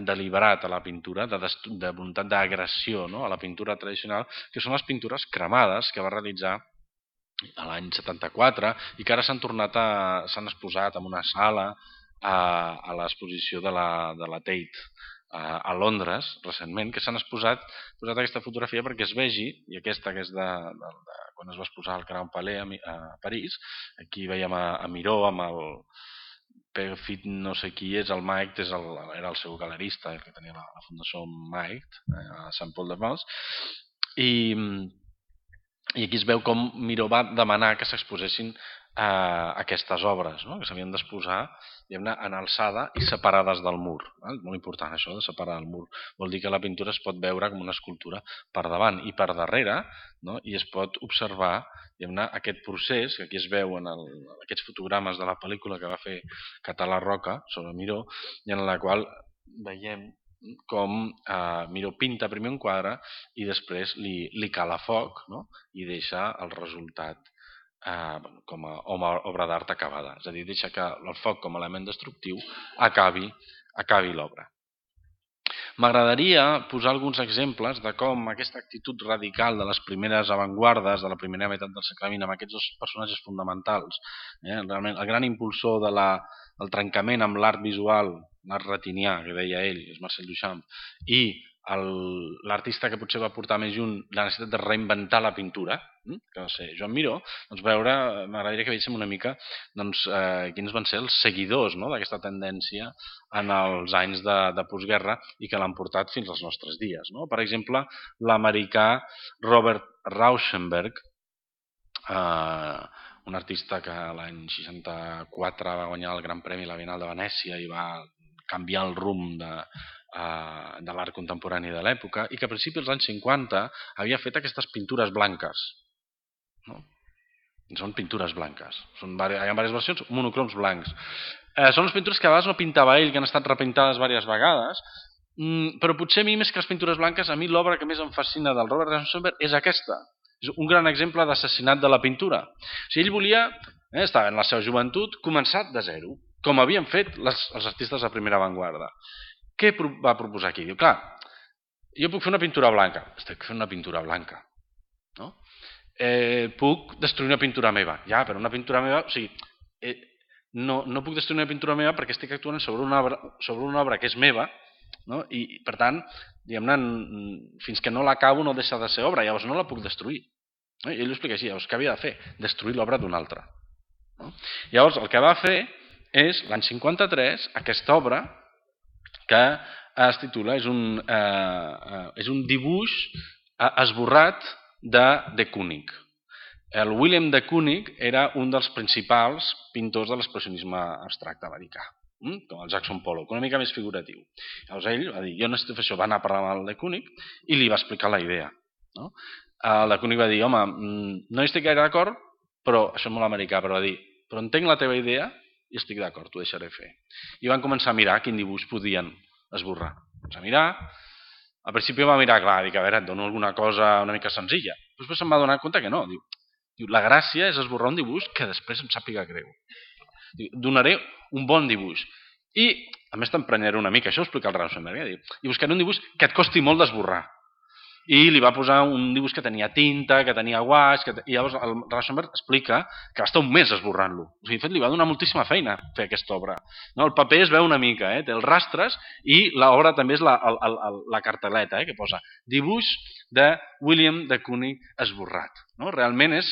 deliberat a la pintura, de, de voluntat d'agressió, no?, a la pintura tradicional, que són les pintures cremades que va realitzar a l'any setanta-quatre i que ara s'han tornat a, s'han exposat en una sala a, a l'exposició de la, de la Tate a Londres, recentment, que s'han exposat, posat aquesta fotografia perquè es vegi, i aquesta que és de, de, de quan es va exposar al Grand Palais a, a París, aquí veiem a, a Miró amb el Perfit, no sé qui és, el Mike, és el, era el seu galerista, el que tenia la, la fundació Mike, a Sant Pol de Mals, i, i aquí es veu com Miró va demanar que s'exposessin eh, aquestes obres, no?, que s'havien d'exposar en alçada i separades del mur. Eh? Molt important això de separar el mur. Vol dir que la pintura es pot veure com una escultura per davant i per darrere, no?, i es pot observar aquest procés, que aquí es veu en el, aquests fotogrames de la pel·lícula que va fer Català Roca sobre Miró, i en la qual veiem com eh, Miró pinta primer un quadre i després li, li cala foc, no?, i deixa el resultat Eh, com a obra d'art acabada, és a dir, deixa que el foc com a element destructiu acabi, acabi l'obra. M'agradaria posar alguns exemples de com aquesta actitud radical de les primeres avantguardes de la primera meitat del segle vint amb aquests dos personatges fonamentals, eh, realment el gran impulsor de la, el trencament amb l'art visual, l'art retinià, que deia ell, és Marcel Duchamp, i l'artista que potser va portar més junt la necessitat de reinventar la pintura, que va ser Joan Miró, doncs veure, m'agradaria que veiéssim una mica doncs, eh, quins van ser els seguidors, no?, d'aquesta tendència en els anys de, de postguerra i que l'han portat fins als nostres dies. No? Per exemple, l'americà Robert Rauschenberg, eh, un artista que l'any seixanta-quatre va guanyar el Gran Premi a la Bienal de Venècia i va canviar el rumb de, Uh, de l'art contemporani de l'època i que a principis dels anys cinquanta havia fet aquestes pintures blanques, no? Són pintures blanques, són, hi ha diverses versions, monocroms blancs. Uh, són les pintures que a vegades no pintava ell, que han estat repintades diverses vegades, mm, però potser a mi més que les pintures blanques, a mi l'obra que més em fascina del Robert Rauschenberg és aquesta. És un gran exemple d'assassinat de la pintura. O sigui, ell volia, eh, estava en la seva joventut, començar de zero, com havien fet les, els artistes de primera avantguarda. Què va proposar aquí? Diu, clar, jo puc fer una pintura blanca. Estic fent una pintura blanca. No? Eh, puc destruir una pintura meva. Ja, però una pintura meva... O sigui, eh, no, no puc destruir una pintura meva perquè estic actuant sobre una obra, sobre una obra que és meva, no? I, per tant, diguem-ne, fins que no l'acabo no deixa de ser obra. Llavors no la puc destruir. No? I ell ho explica així. Llavors, què havia de fer? Destruir l'obra d'un altre. No? Llavors, el que va fer és, l'any cinquanta-tres, aquesta obra que es titula, és un, eh, és un dibuix esborrat de de Kooning. El Willem de Kooning era un dels principals pintors de l'expressionisme abstracte americà, com el Jackson Pollock, una mica més figuratiu. Llavors ell va dir, jo necessito fer això, va anar a parlar amb el de Kooning i li va explicar la idea. No? El de Kooning va dir, home, no hi estic gaire d'acord, però això és molt americà, però va dir, però entenc la teva idea i estic d'acord, t'ho deixaré fer. I van començar a mirar quin dibuix podien esborrar. Doncs a mirar, al principi va mirar, clar, dic, a veure, et dono alguna cosa una mica senzilla. Després se'm va donar compte que no. Diu, Diu, la gràcia és esborrar un dibuix que després em sàpiga greu. Diu, donaré un bon dibuix. I, a més, t'emprenyaré una mica, això ho explica el Rauschenberg, eh? Diu, i buscaré un dibuix que et costi molt d'esborrar. I li va posar un dibuix que tenia tinta, que tenia guaix, que... i llavors el Rauschenberg explica que va estar un mes esborrant-lo. O sigui, de fet, li va donar moltíssima feina fer aquesta obra. No? El paper es veu una mica, eh? Té els rastres, i l'obra també és la, la, la, la carteleta, eh? Que posa dibuix de William de Kooning esborrat. No? Realment és,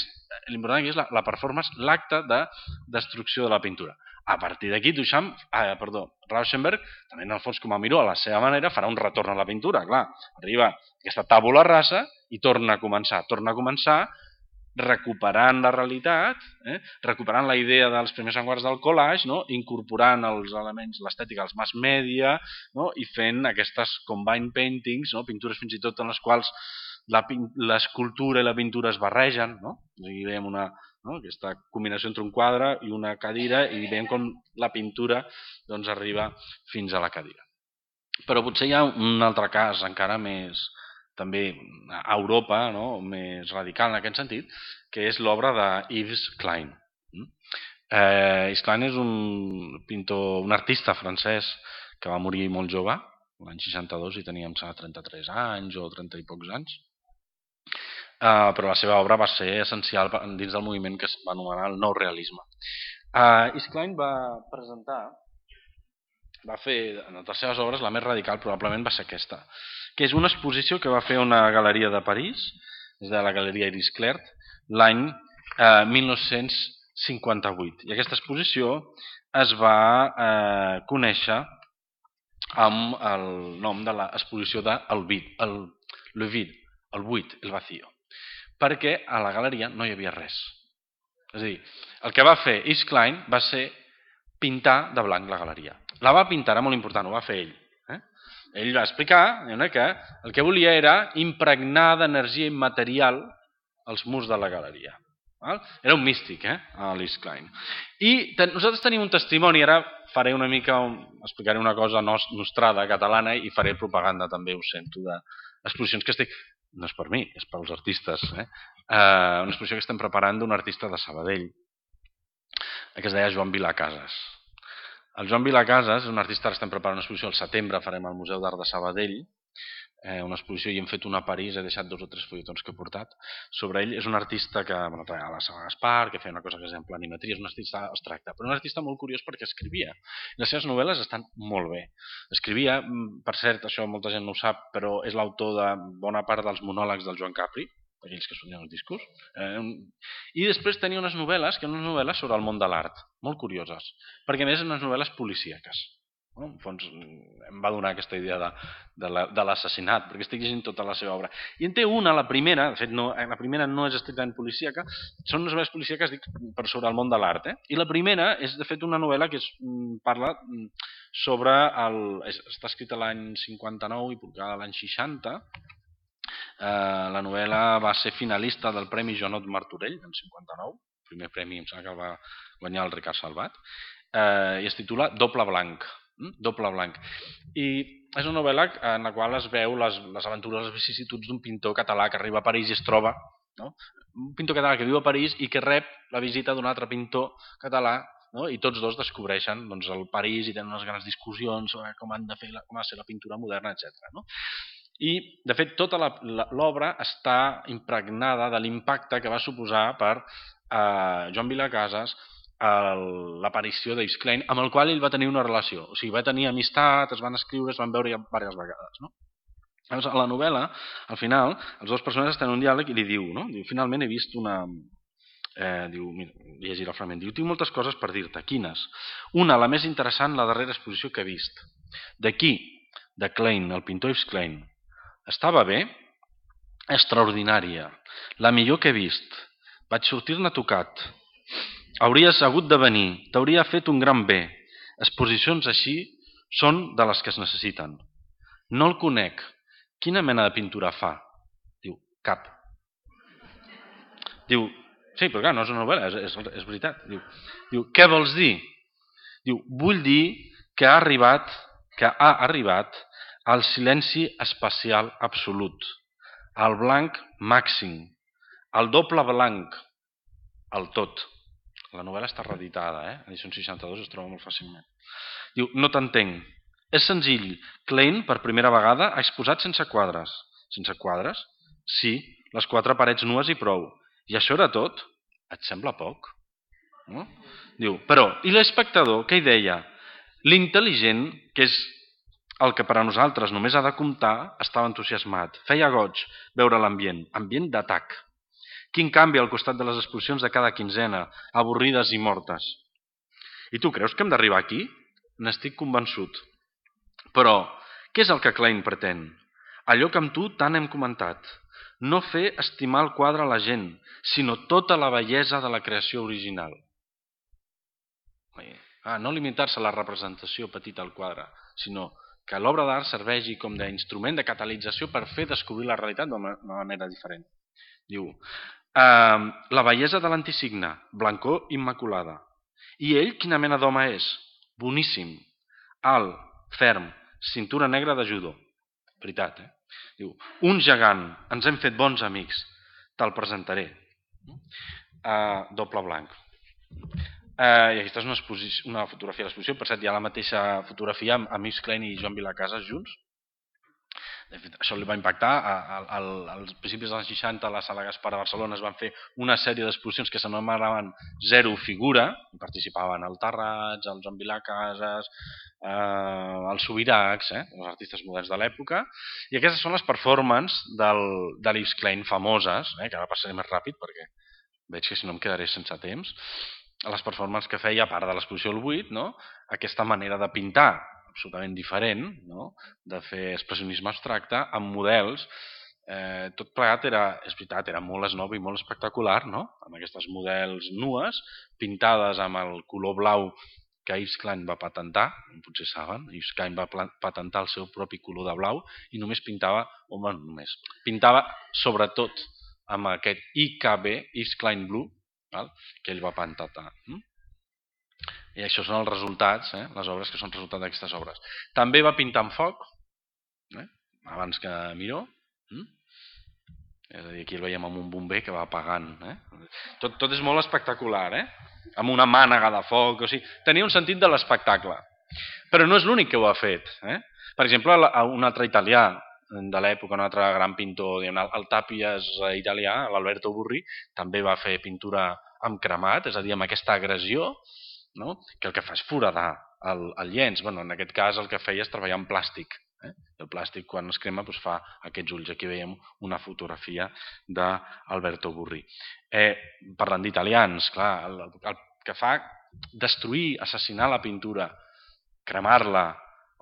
l'important aquí és la, la performance, l'acte de destrucció de la pintura. A partir d'aquí, Duchamp, ah, perdó, Rauschenberg, també en el fons com a Miró, a la seva manera, farà un retorn a la pintura. Clar, arriba aquesta tàbula rasa i torna a començar. Torna a començar recuperant la realitat, eh? recuperant la idea dels primers avantguards del collage, no? Incorporant els elements, l'estètica, els mass media, no? I fent aquestes combined paintings, no? Pintures fins i tot en les quals l'escultura i la pintura es barregen, no? Aquí veiem una, no? Aquesta combinació entre un quadre i una cadira, i veiem com la pintura doncs, arriba fins a la cadira. Però potser hi ha un altre cas encara més, també a Europa, no? Més radical en aquest sentit, que és l'obra de Yves Klein. Eh, Yves Klein és un pintor, un artista francès que va morir molt jove, l'any seixanta-dos, i tenia trenta-tres anys o trenta i pocs anys. Uh, però la seva obra va ser essencial dins del moviment que es va anomenar el nou realisme. Uh, Yves Klein va presentar, va fer en les seves obres la més radical probablement va ser aquesta, que és una exposició que va fer una galeria de París, és de la galeria Iris Clert, l'any uh, mil nou-cents cinquanta-vuit. I aquesta exposició es va uh, conèixer amb el nom de l'exposició de El Vide, el, le vide, el buit, el vacío. Perquè a la galeria no hi havia res. És a dir, el que va fer Yves Klein va ser pintar de blanc la galeria. La va pintar, era molt important, ho va fer ell. Eh? Ell va explicar que el que volia era impregnar d'energia immaterial els murs de la galeria. Era un místic, eh, l'Yves Klein. I ten, nosaltres tenim un testimoni, ara faré una mica, un, explicaré una cosa nostrada catalana i faré propaganda també, ho sento, d'exposicions que estic... No és per mi, és pels artistes. Eh? Uh, una exposició que estem preparant d'un artista de Sabadell, que es deia Joan Vilacases. El Joan Vilacases és un artista que estem preparant una exposició al setembre, farem al Museu d'Art de Sabadell, eh, una exposició i hem fet una a París, he deixat dos o tres fulletons que he portat sobre ell. És un artista que bueno, a la Sala Gaspar, que feia una cosa que es deia planimetria, és un artista abstracte, però un artista molt curiós perquè escrivia. Les seves novel·les estan molt bé. Escrivia, per cert, això molta gent no ho sap, però és l'autor de bona part dels monòlegs del Joan Capri, aquells que sonien els discos, eh, i després tenia unes novel·les, que eren unes novel·les sobre el món de l'art, molt curioses, perquè a més eren unes novel·les policíaques. No? En fons em va donar aquesta idea de, de, la, de l'assassinat, perquè estic llegint tota la seva obra. I en té una, la primera, de fet no, la primera no és estrictament policíaca, són unes novel·les policíaques dic, per sobre el món de l'art. Eh? I la primera és de fet una novel·la que es, parla sobre, el, està escrita l'any cinquanta-nou i publicada l'any seixanta. Uh, la novel·la va ser finalista del Premi Joanot Martorell en cinquanta-nou, el primer premi em sembla que el va guanyar el Ricard Salvat, uh, i es titula Doble Blanc. Doble blanc. I és una novel·la en la qual es veu les, les aventures, les vicissituds d'un pintor català que arriba a París i es troba, no? Un pintor català que viu a París i que rep la visita d'un altre pintor català, no? I tots dos descobreixen doncs, el París i tenen unes grans discussions sobre com han de fer la, com ha de ser la pintura moderna, etcètera. No? I, de fet, tota l'obra està impregnada de l'impacte que va suposar per eh, Joan Vilacases l'aparició d'Yves Klein, amb el qual ell va tenir una relació. O sigui, va tenir amistat, es van escriure, es van veure ja diverses vegades. No? Llavors, a la novel·la, al final, els dos personatges tenen un diàleg i li diu, no? Diu, finalment he vist una... Eh, diu, mira, llegir el fragment. Diu, tinc moltes coses per dir-te. Quines? Una, la més interessant, la darrera exposició que he vist. D'aquí, de Klein, el pintor Yves Klein. Estava bé? Extraordinària. La millor que he vist. Vaig sortir-ne tocat. Hauries hagut de venir, t'hauria fet un gran bé. Exposicions així són de les que es necessiten. No el conec. Quina mena de pintura fa? Diu, cap. Diu, sí, però clar, no és una novel·la, és, és, és veritat. Diu, diu, què vols dir? Diu, vull dir que ha arribat, que ha arribat al silenci espacial absolut, al blanc màxim, al doble blanc, el tot. La novel·la està reeditada, eh? Edició seixanta-dos, es troba molt fàcilment. Diu, no t'entenc. És senzill. Klein, per primera vegada, ha exposat sense quadres. Sense quadres? Sí, les quatre parets nues i prou. I això era tot? Et sembla poc? No? Diu, però, i l'espectador, què hi deia? L'intel·ligent, que és el que per a nosaltres només ha de comptar, estava entusiasmat. Feia goig veure l'ambient, ambient d'atac. Quin canvi al costat de les exposicions de cada quinzena, avorrides i mortes. I tu creus que hem d'arribar aquí? N'estic convençut. Però, què és el que Klein pretén? Allò que amb tu tant hem comentat. No fer estimar el quadre a la gent, sinó tota la bellesa de la creació original. Ah, no limitar-se a la representació petita al quadre, sinó que l'obra d'art serveixi com d'instrument de catalització per fer descobrir la realitat d'una manera diferent. Diu, eh, la bellesa de l'antisigne, blancor immaculada. I ell, quina mena d'home és? Boníssim, alt, ferm, cintura negra de judo. Veritat, eh? Diu, un gegant, ens hem fet bons amics, te'l presentaré. Uh, doble blanc. Uh, I aquesta és una, una fotografia de l'exposició. Per cert, hi ha la mateixa fotografia amb, amb Yves Klein i Joan Vilacases junts. De fet, això li va impactar. Als principis dels anys seixanta a la Sala Gaspar a Barcelona es van fer una sèrie d'exposicions que s'anomenaven Zero Figura. Hi participaven el Tarrats, el Joan Vilacases, eh, els Subirachs, eh, els artistes moderns de l'època. I aquestes són les performances del, de l'Yves Klein famoses, eh, que ara passaré més ràpid perquè veig que si no em quedaré sense temps. Les performances que feia, a part de l'exposició al buit, no? Aquesta manera de pintar absolutament diferent, no? De fer expressionisme abstracte amb models. Eh, tot plegat era, és veritat, era molt esnob i molt espectacular, no? Amb aquestes models nues, pintades amb el color blau que Yves Klein va patentar, potser saben, Yves Klein va patentar el seu propi color de blau i només pintava, home, només, pintava sobretot amb aquest I K B, Yves Klein Blue, val? Que ell va patentar. I això són els resultats, eh? Les obres que són resultat d'aquestes obres. També va pintar amb foc, eh? Abans que Miró. Mm? És a dir, aquí el veiem amb un bomber que va apagant. Eh? Tot, tot és molt espectacular, eh? Amb una mànega de foc. O sigui, tenia un sentit de l'espectacle. Però no és l'únic que ho ha fet. Eh? Per exemple, un altre italià de l'època, un altre gran pintor, el Tàpies italià, l'Alberto Burri, també va fer pintura amb cremat, és a dir, amb aquesta agressió, no? Que el que fa és foradar el, el llenç. Bueno, en aquest cas el que feia és treballar amb plàstic. Eh? El plàstic, quan es crema, doncs fa aquests ulls. Aquí veiem una fotografia d'Alberto Burri. Eh, parlant d'italians, clar, el, el que fa destruir, assassinar la pintura, cremar-la,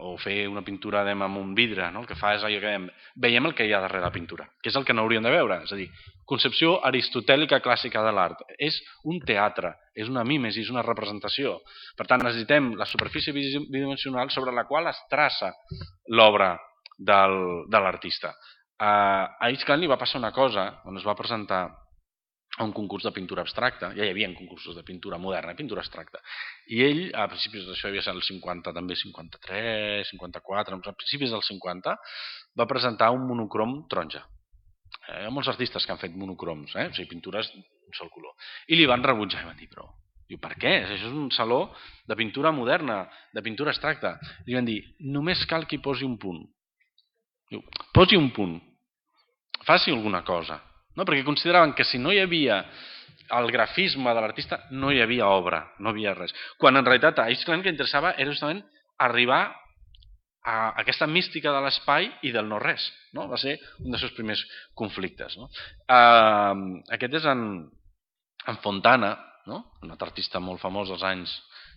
o fer una pintura amb un vidre, no? El que fa és allò que veiem, veiem el que hi ha darrere la pintura, que és el que no hauríem de veure, és a dir, concepció aristotèlica clàssica de l'art. És un teatre, és una mímesi, és una representació. Per tant, necessitem la superfície bidimensional sobre la qual es traça l'obra de l'artista. A Yves Klein li va passar una cosa, on es va presentar a un concurs de pintura abstracta, ja hi havia concursos de pintura moderna i pintura abstracta, i ell, a principis d'això havia estat el cinquanta, també cinquanta-tres, cinquanta-quatre, a principis del cinquanta, va presentar un monocrom taronja. Hi ha molts artistes que han fet monocroms, eh? O sigui, pintures d'un sol color. I li van rebutjar i van dir, però, diu, per què? Això és un saló de pintura moderna, de pintura abstracta. I li van dir, només cal que hi posi un punt. Diu, posi un punt, faci alguna cosa. No? Perquè consideraven que si no hi havia el grafisme de l'artista, no hi havia obra, no havia res. Quan en realitat a Yves Klein el que interessava era justament arribar a aquesta mística de l'espai i del no-res. No? Va ser un dels seus primers conflictes. No? Uh, aquest és en, en Fontana, no? Un altre artista molt famós dels anys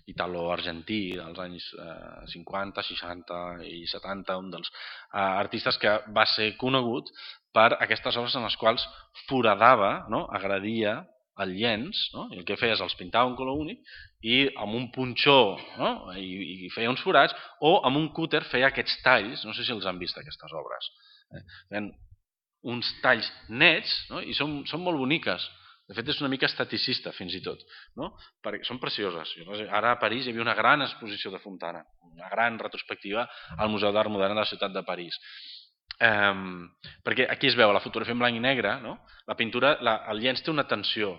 italo-argentí, dels anys eh, cinquanta, seixanta i setanta, un dels eh, artistes que va ser conegut per aquestes obres en les quals foradava, no? Agredia el llenç, no? I el que feia és els pintava un color únic i amb un punxó, no? I, i feia uns forats, o amb un cúter feia aquests talls, no sé si els han vist aquestes obres, eh? Feien uns talls nets, no? I són, són molt boniques. De fet, és una mica esteticista, fins i tot. No? Perquè són precioses. Ara a París hi havia una gran exposició de Fontana, una gran retrospectiva al Museu d'Art Modern de la ciutat de París. Um, perquè aquí es veu la fotografia en blanc i negre, no? La pintura, la, el llenç té una tensió,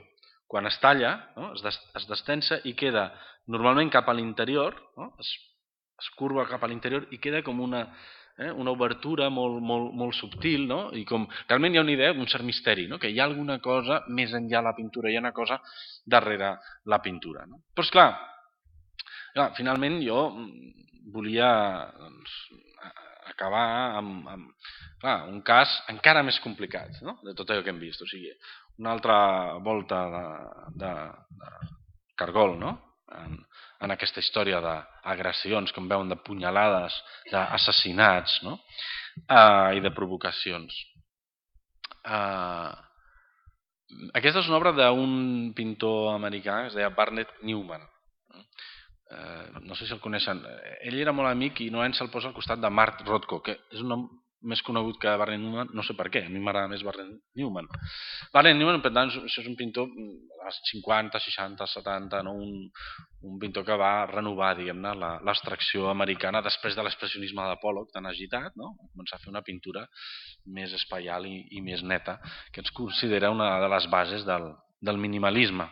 quan es talla, no? es, des, es destensa i queda normalment cap a l'interior, no? es, es curva cap a l'interior i queda com una, eh, una obertura molt, molt, molt subtil, no? I com realment hi ha una idea d'un cert misteri, no? Que hi ha alguna cosa més enllà de la pintura, hi ha una cosa darrere la pintura. No? Però esclar, clar, finalment jo volia doncs, acabar amb, amb clar, un cas encara més complicat, no? De tot allò que hem vist. O sigui, una altra volta de, de, de cargol, no? En, en aquesta història d'agressions, com veuen, de punyalades, d'assassinats, no? uh, i de provocacions. Uh, aquesta és una obra d'un pintor americà que es deia Barnett Newman. Uh, no sé si el coneixen. Ell era molt amic i normalment se'l posa al costat de Mark Rothko, que és un nom més conegut que Barnett Newman, no sé per què, a mi m'agrada més Barnett Newman. Barnett Newman, per tant, això és un pintor als cinquanta, seixanta, setanta, no? un, un pintor que va renovar, diguem-ne, l'abstracció americana després de l'expressionisme de Pollock tan agitat, no? Va començar a fer una pintura més espaial i, i més neta, que ens considera una de les bases del, del minimalisme.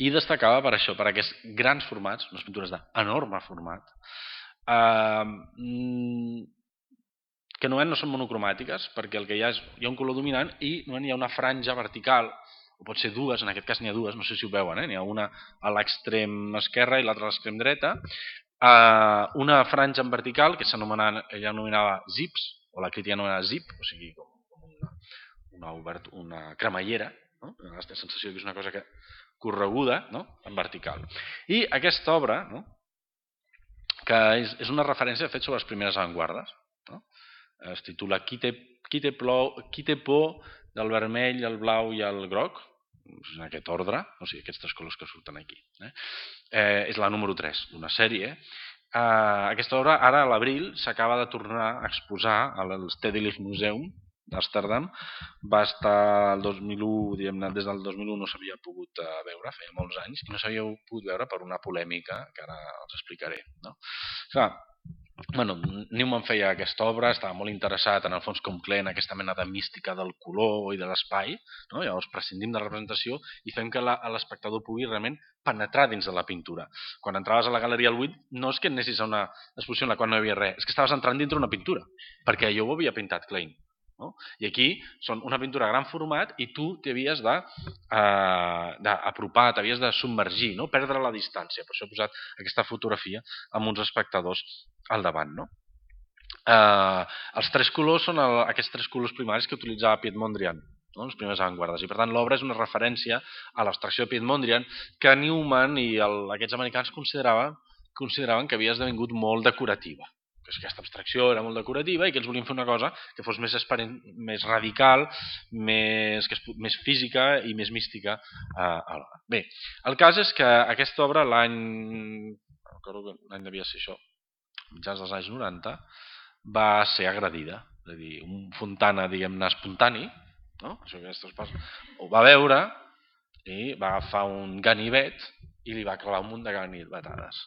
I destacava per això, per aquests grans formats, unes pintures d'enorme format, eh, que normalment no són monocromàtiques, perquè el que hi ha és hi ha un color dominant i normalment hi ha una franja vertical, o pot ser dues, en aquest cas n'hi ha dues, no sé si ho veuen, eh? N'hi ha una a l'extrem esquerre i l'altra a l'extrem dreta, eh, una franja en vertical que s'anomenava, ella anomenava zips, o la crítica anomenava zip, o sigui com, com una, una, obert, una cremallera, no? La sensació que és una cosa que correguda, no? En vertical. I aquesta obra, no? Que és, és una referència de fet sobre les primeres avantguardes, no? Es titula Qui té, qui té, plou, qui té por del vermell, el blau i el groc, en aquest ordre, o sigui, aquests tres colors que surten aquí. Eh? Eh, és la número tres d'una sèrie. Eh, aquesta obra, ara a l'abril, s'acaba de tornar a exposar al Stedelijk Museum d'Amsterdam. Va estar el dos mil u, diguem-ne, des del dos mil u no s'havia pogut veure, feia molts anys, i no s'havia pogut veure per una polèmica que ara els explicaré. No? Clar, bueno, Newman feia aquesta obra, estava molt interessat en el fons com Klee en aquesta mena de mística del color i de l'espai, no? Llavors prescindim de la representació i fem que l'espectador pugui realment penetrar dins de la pintura. Quan entraves a la Galeria al Buit no és que anessis a una exposició en la qual no hi havia res, és que estaves entrant dintre una pintura, perquè allò ho havia pintat Klein. No? I aquí són una pintura a gran format i tu t'havies d'apropar, eh, t'havies de submergir, no? Perdre la distància. Per això he posat aquesta fotografia amb uns espectadors al davant. No? Eh, els tres colors són el, aquests tres colors primaris que utilitzava Piet Mondrian, no? Les primeres avantguardes. I per tant l'obra és una referència a l'abstracció de Piet Mondrian que Newman i el, aquests americans consideraven, consideraven que havia esdevingut molt decorativa. Que aquesta abstracció era molt decorativa i que ells volien fer una cosa que fos més, més radical, més, que es, més física i més mística. Eh, Bé, el cas és que aquesta obra l'any, l'any devia ser això, mitjans dels anys noranta, va ser agredida. És a dir, un Fontana, diguem-ne, espontani, no? Això que ho va veure i va agafar un ganivet i li va clavar un munt de ganivetades.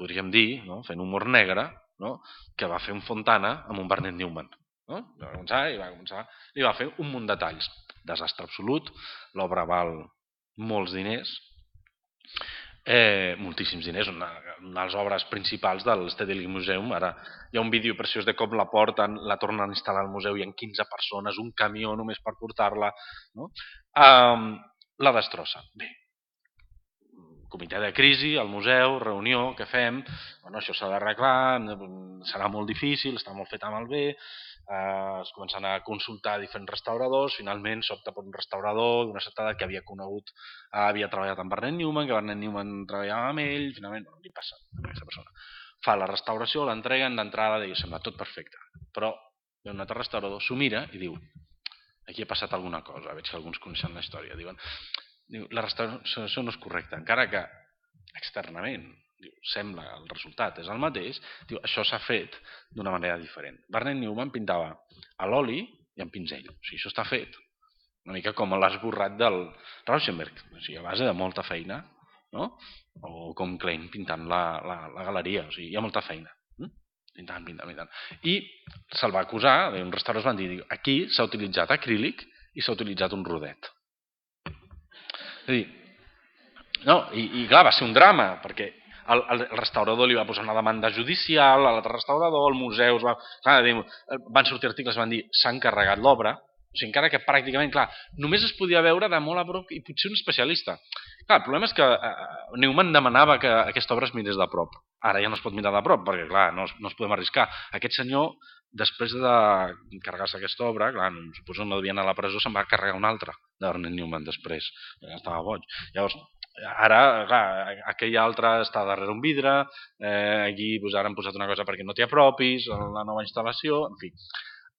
Podríem dir, no? Fent humor negre, no? Que va fer un Fontana amb un Barnett Newman. No? Va començar i va començar i va fer un munt de talls. Desastre absolut, l'obra val molts diners, eh, moltíssims diners, una, una de les obres principals del Stedelijk Museum. Ara hi ha un vídeo preciós de com la porten, la tornen a instal·lar al museu, hi ha quinze persones, un camió només per portar-la, no? Um, la destrossa. Bé, comitè de crisi, al museu, reunió, què fem? Bueno, això s'ha d'arreglar, serà molt difícil, està molt fet malbé, eh, es comencen a consultar diferents restauradors, finalment s'opta per un restaurador d'una certa edat que havia conegut, eh, havia treballat amb Barnett Newman, que Barnett Newman treballava amb ell, finalment, bueno, li passa a aquesta persona. Fa la restauració, l'entreguen d'entrada, i sembla tot perfecte, però ve un altre restaurador, s'ho mira i diu, aquí ha passat alguna cosa, veig que alguns coneixen la història, diuen, la restauració no és correcta, encara que externament diu, sembla el resultat és el mateix, diu, això s'ha fet d'una manera diferent. Barnett Newman pintava a l'oli i amb pinzell, o sigui, això està fet una mica com l'esborrat del Rauschenberg, o sigui, a base de molta feina, no? O com Klein pintant la, la, la galeria, o sigui, hi ha molta feina. Pintant, pintant, pintant. I se'l va acusar, uns restaurants van dir, aquí s'ha utilitzat acrílic i s'ha utilitzat un rodet. És a dir, no, i, i clar, va ser un drama, perquè el, el restaurador li va posar una demanda judicial, a l'altre restaurador, el museu... Va, clar, van sortir articles que van dir s'ha encarregat l'obra, o sigui, encara que pràcticament, clar, només es podia veure de molt a prop i potser un especialista. Clar, el problema és que eh, Neumann demanava que aquesta obra es mirés de prop. Ara ja no es pot mirar de prop, perquè clar, no, no es podem arriscar. Aquest senyor, després de carregar-se aquesta obra, clar, suposo que no devia anar a la presó, se'n va carregar una altra d'Ernest Neumann després, ja estava boig. Llavors, ara, clar, aquell altre està darrere un vidre, eh, aquí doncs, ara han posat una cosa perquè no t'hi apropis, la nova instal·lació, en fi.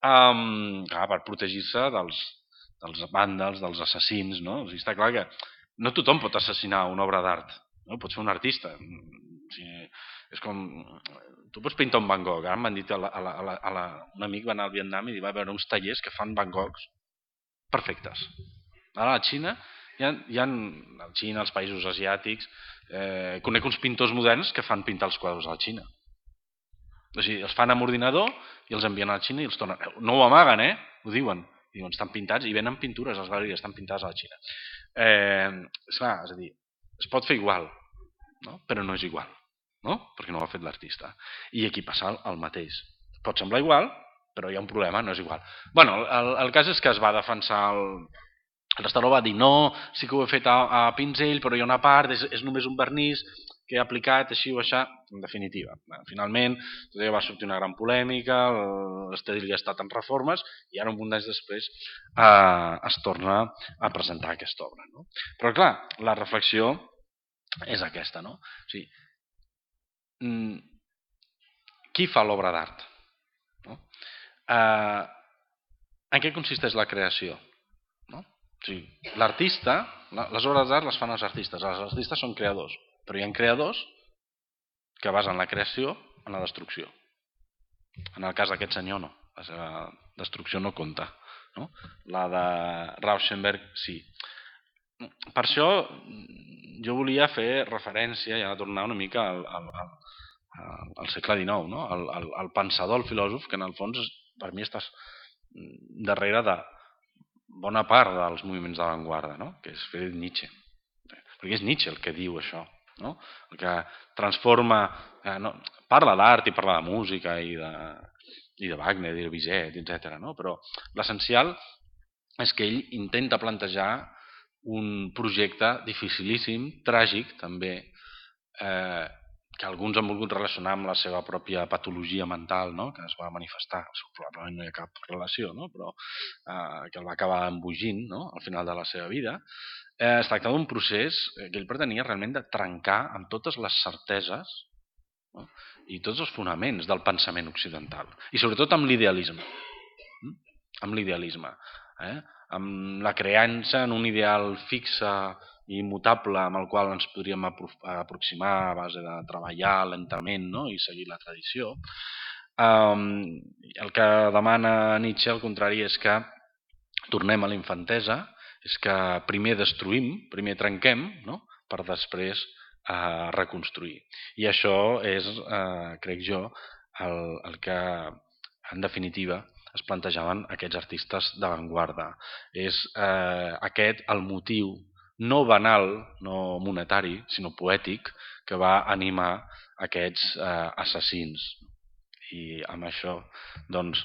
Um, clar, per protegir-se dels, dels vàndals, dels assassins, no? O sigui, està clar que no tothom pot assassinar una obra d'art, no? Pot ser un artista. O sigui, és com... Tu pots pintar un Van Gogh. Ara m'han dit, a la, a la, a la, a la... un amic va anar al Vietnam i va veure uns tallers que fan Van Goghs perfectes. Ara a la Xina, hi ha, hi ha a la Xina, als països asiàtics, eh, conec uns pintors moderns que fan pintar els quadres a la Xina. O sigui, els fan amb ordinador i els envien a la Xina i els tornen. No ho amaguen, eh? Ho diuen. Diuen, estan pintats i venen pintures, les galeries estan pintades a la Xina. Eh, és clar, és a dir, es pot fer igual, no? Però no és igual, no? Perquè no ho ha fet l'artista. I aquí passa el mateix. Pot semblar igual, però hi ha un problema, no és igual. Bueno, el, el cas és que es va defensar el... El restaurador va dir, no, sí que ho he fet a, a pinzell, però hi ha una part, és, és només un vernís que he aplicat així o així, en definitiva. Finalment, tot va sortir una gran polèmica, l'Estedil ja ha estat en reformes, i ara un munt d'anys després eh, es torna a presentar aquesta obra. No? Però clar, la reflexió és aquesta. No? O sigui, qui fa l'obra d'art? No? Eh, en què consisteix la creació? No? O sigui, l'artista, les obres d'art les fan els artistes, els artistes són creadors, però hi ha creadors que basen la creació en la destrucció. En el cas d'aquest senyor no, la seva destrucció no compta. No? La de Rauschenberg sí. Per això jo volia fer referència, ja tornar una mica al, al, al, al segle dinou, no? al, al, al pensador, el filòsof, que en el fons per mi estàs darrere de bona part dels moviments d'avantguarda, no? Que és Friedrich Nietzsche. Perquè és Nietzsche el que diu això, no? El que transforma... Eh, no, parla d'art i parla de música i de, i de Wagner i de Bizet, etcètera. No? Però l'essencial és que ell intenta plantejar un projecte dificilíssim, tràgic també, eh, que alguns han volgut relacionar amb la seva pròpia patologia mental, no? Que es va manifestar, probablement no hi ha cap relació, no? Però eh, que el va acabar embogint, no? Al final de la seva vida. Eh, es tracta d'un procés que ell pretenia realment de trencar amb totes les certeses, no? I tots els fonaments del pensament occidental. I sobretot amb l'idealisme. Mm? Amb l'idealisme. Eh? Amb la creença en un ideal fixe i immutable amb el qual ens podríem aproximar a base de treballar lentament, no? I seguir la tradició. Um, el que demana Nietzsche, al contrari, és que tornem a la infantesa, és que primer destruïm, primer trenquem, no? Per després eh, reconstruir. I això és, eh, crec jo, el, el que en definitiva es plantejaven aquests artistes d'avantguarda. És eh, aquest el motiu no banal, no monetari, sinó poètic, que va animar aquests eh, assassins. I amb això, doncs,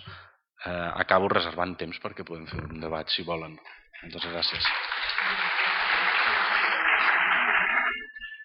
eh, acabo reservant temps perquè podem fer un debat, si volen. Moltes gràcies.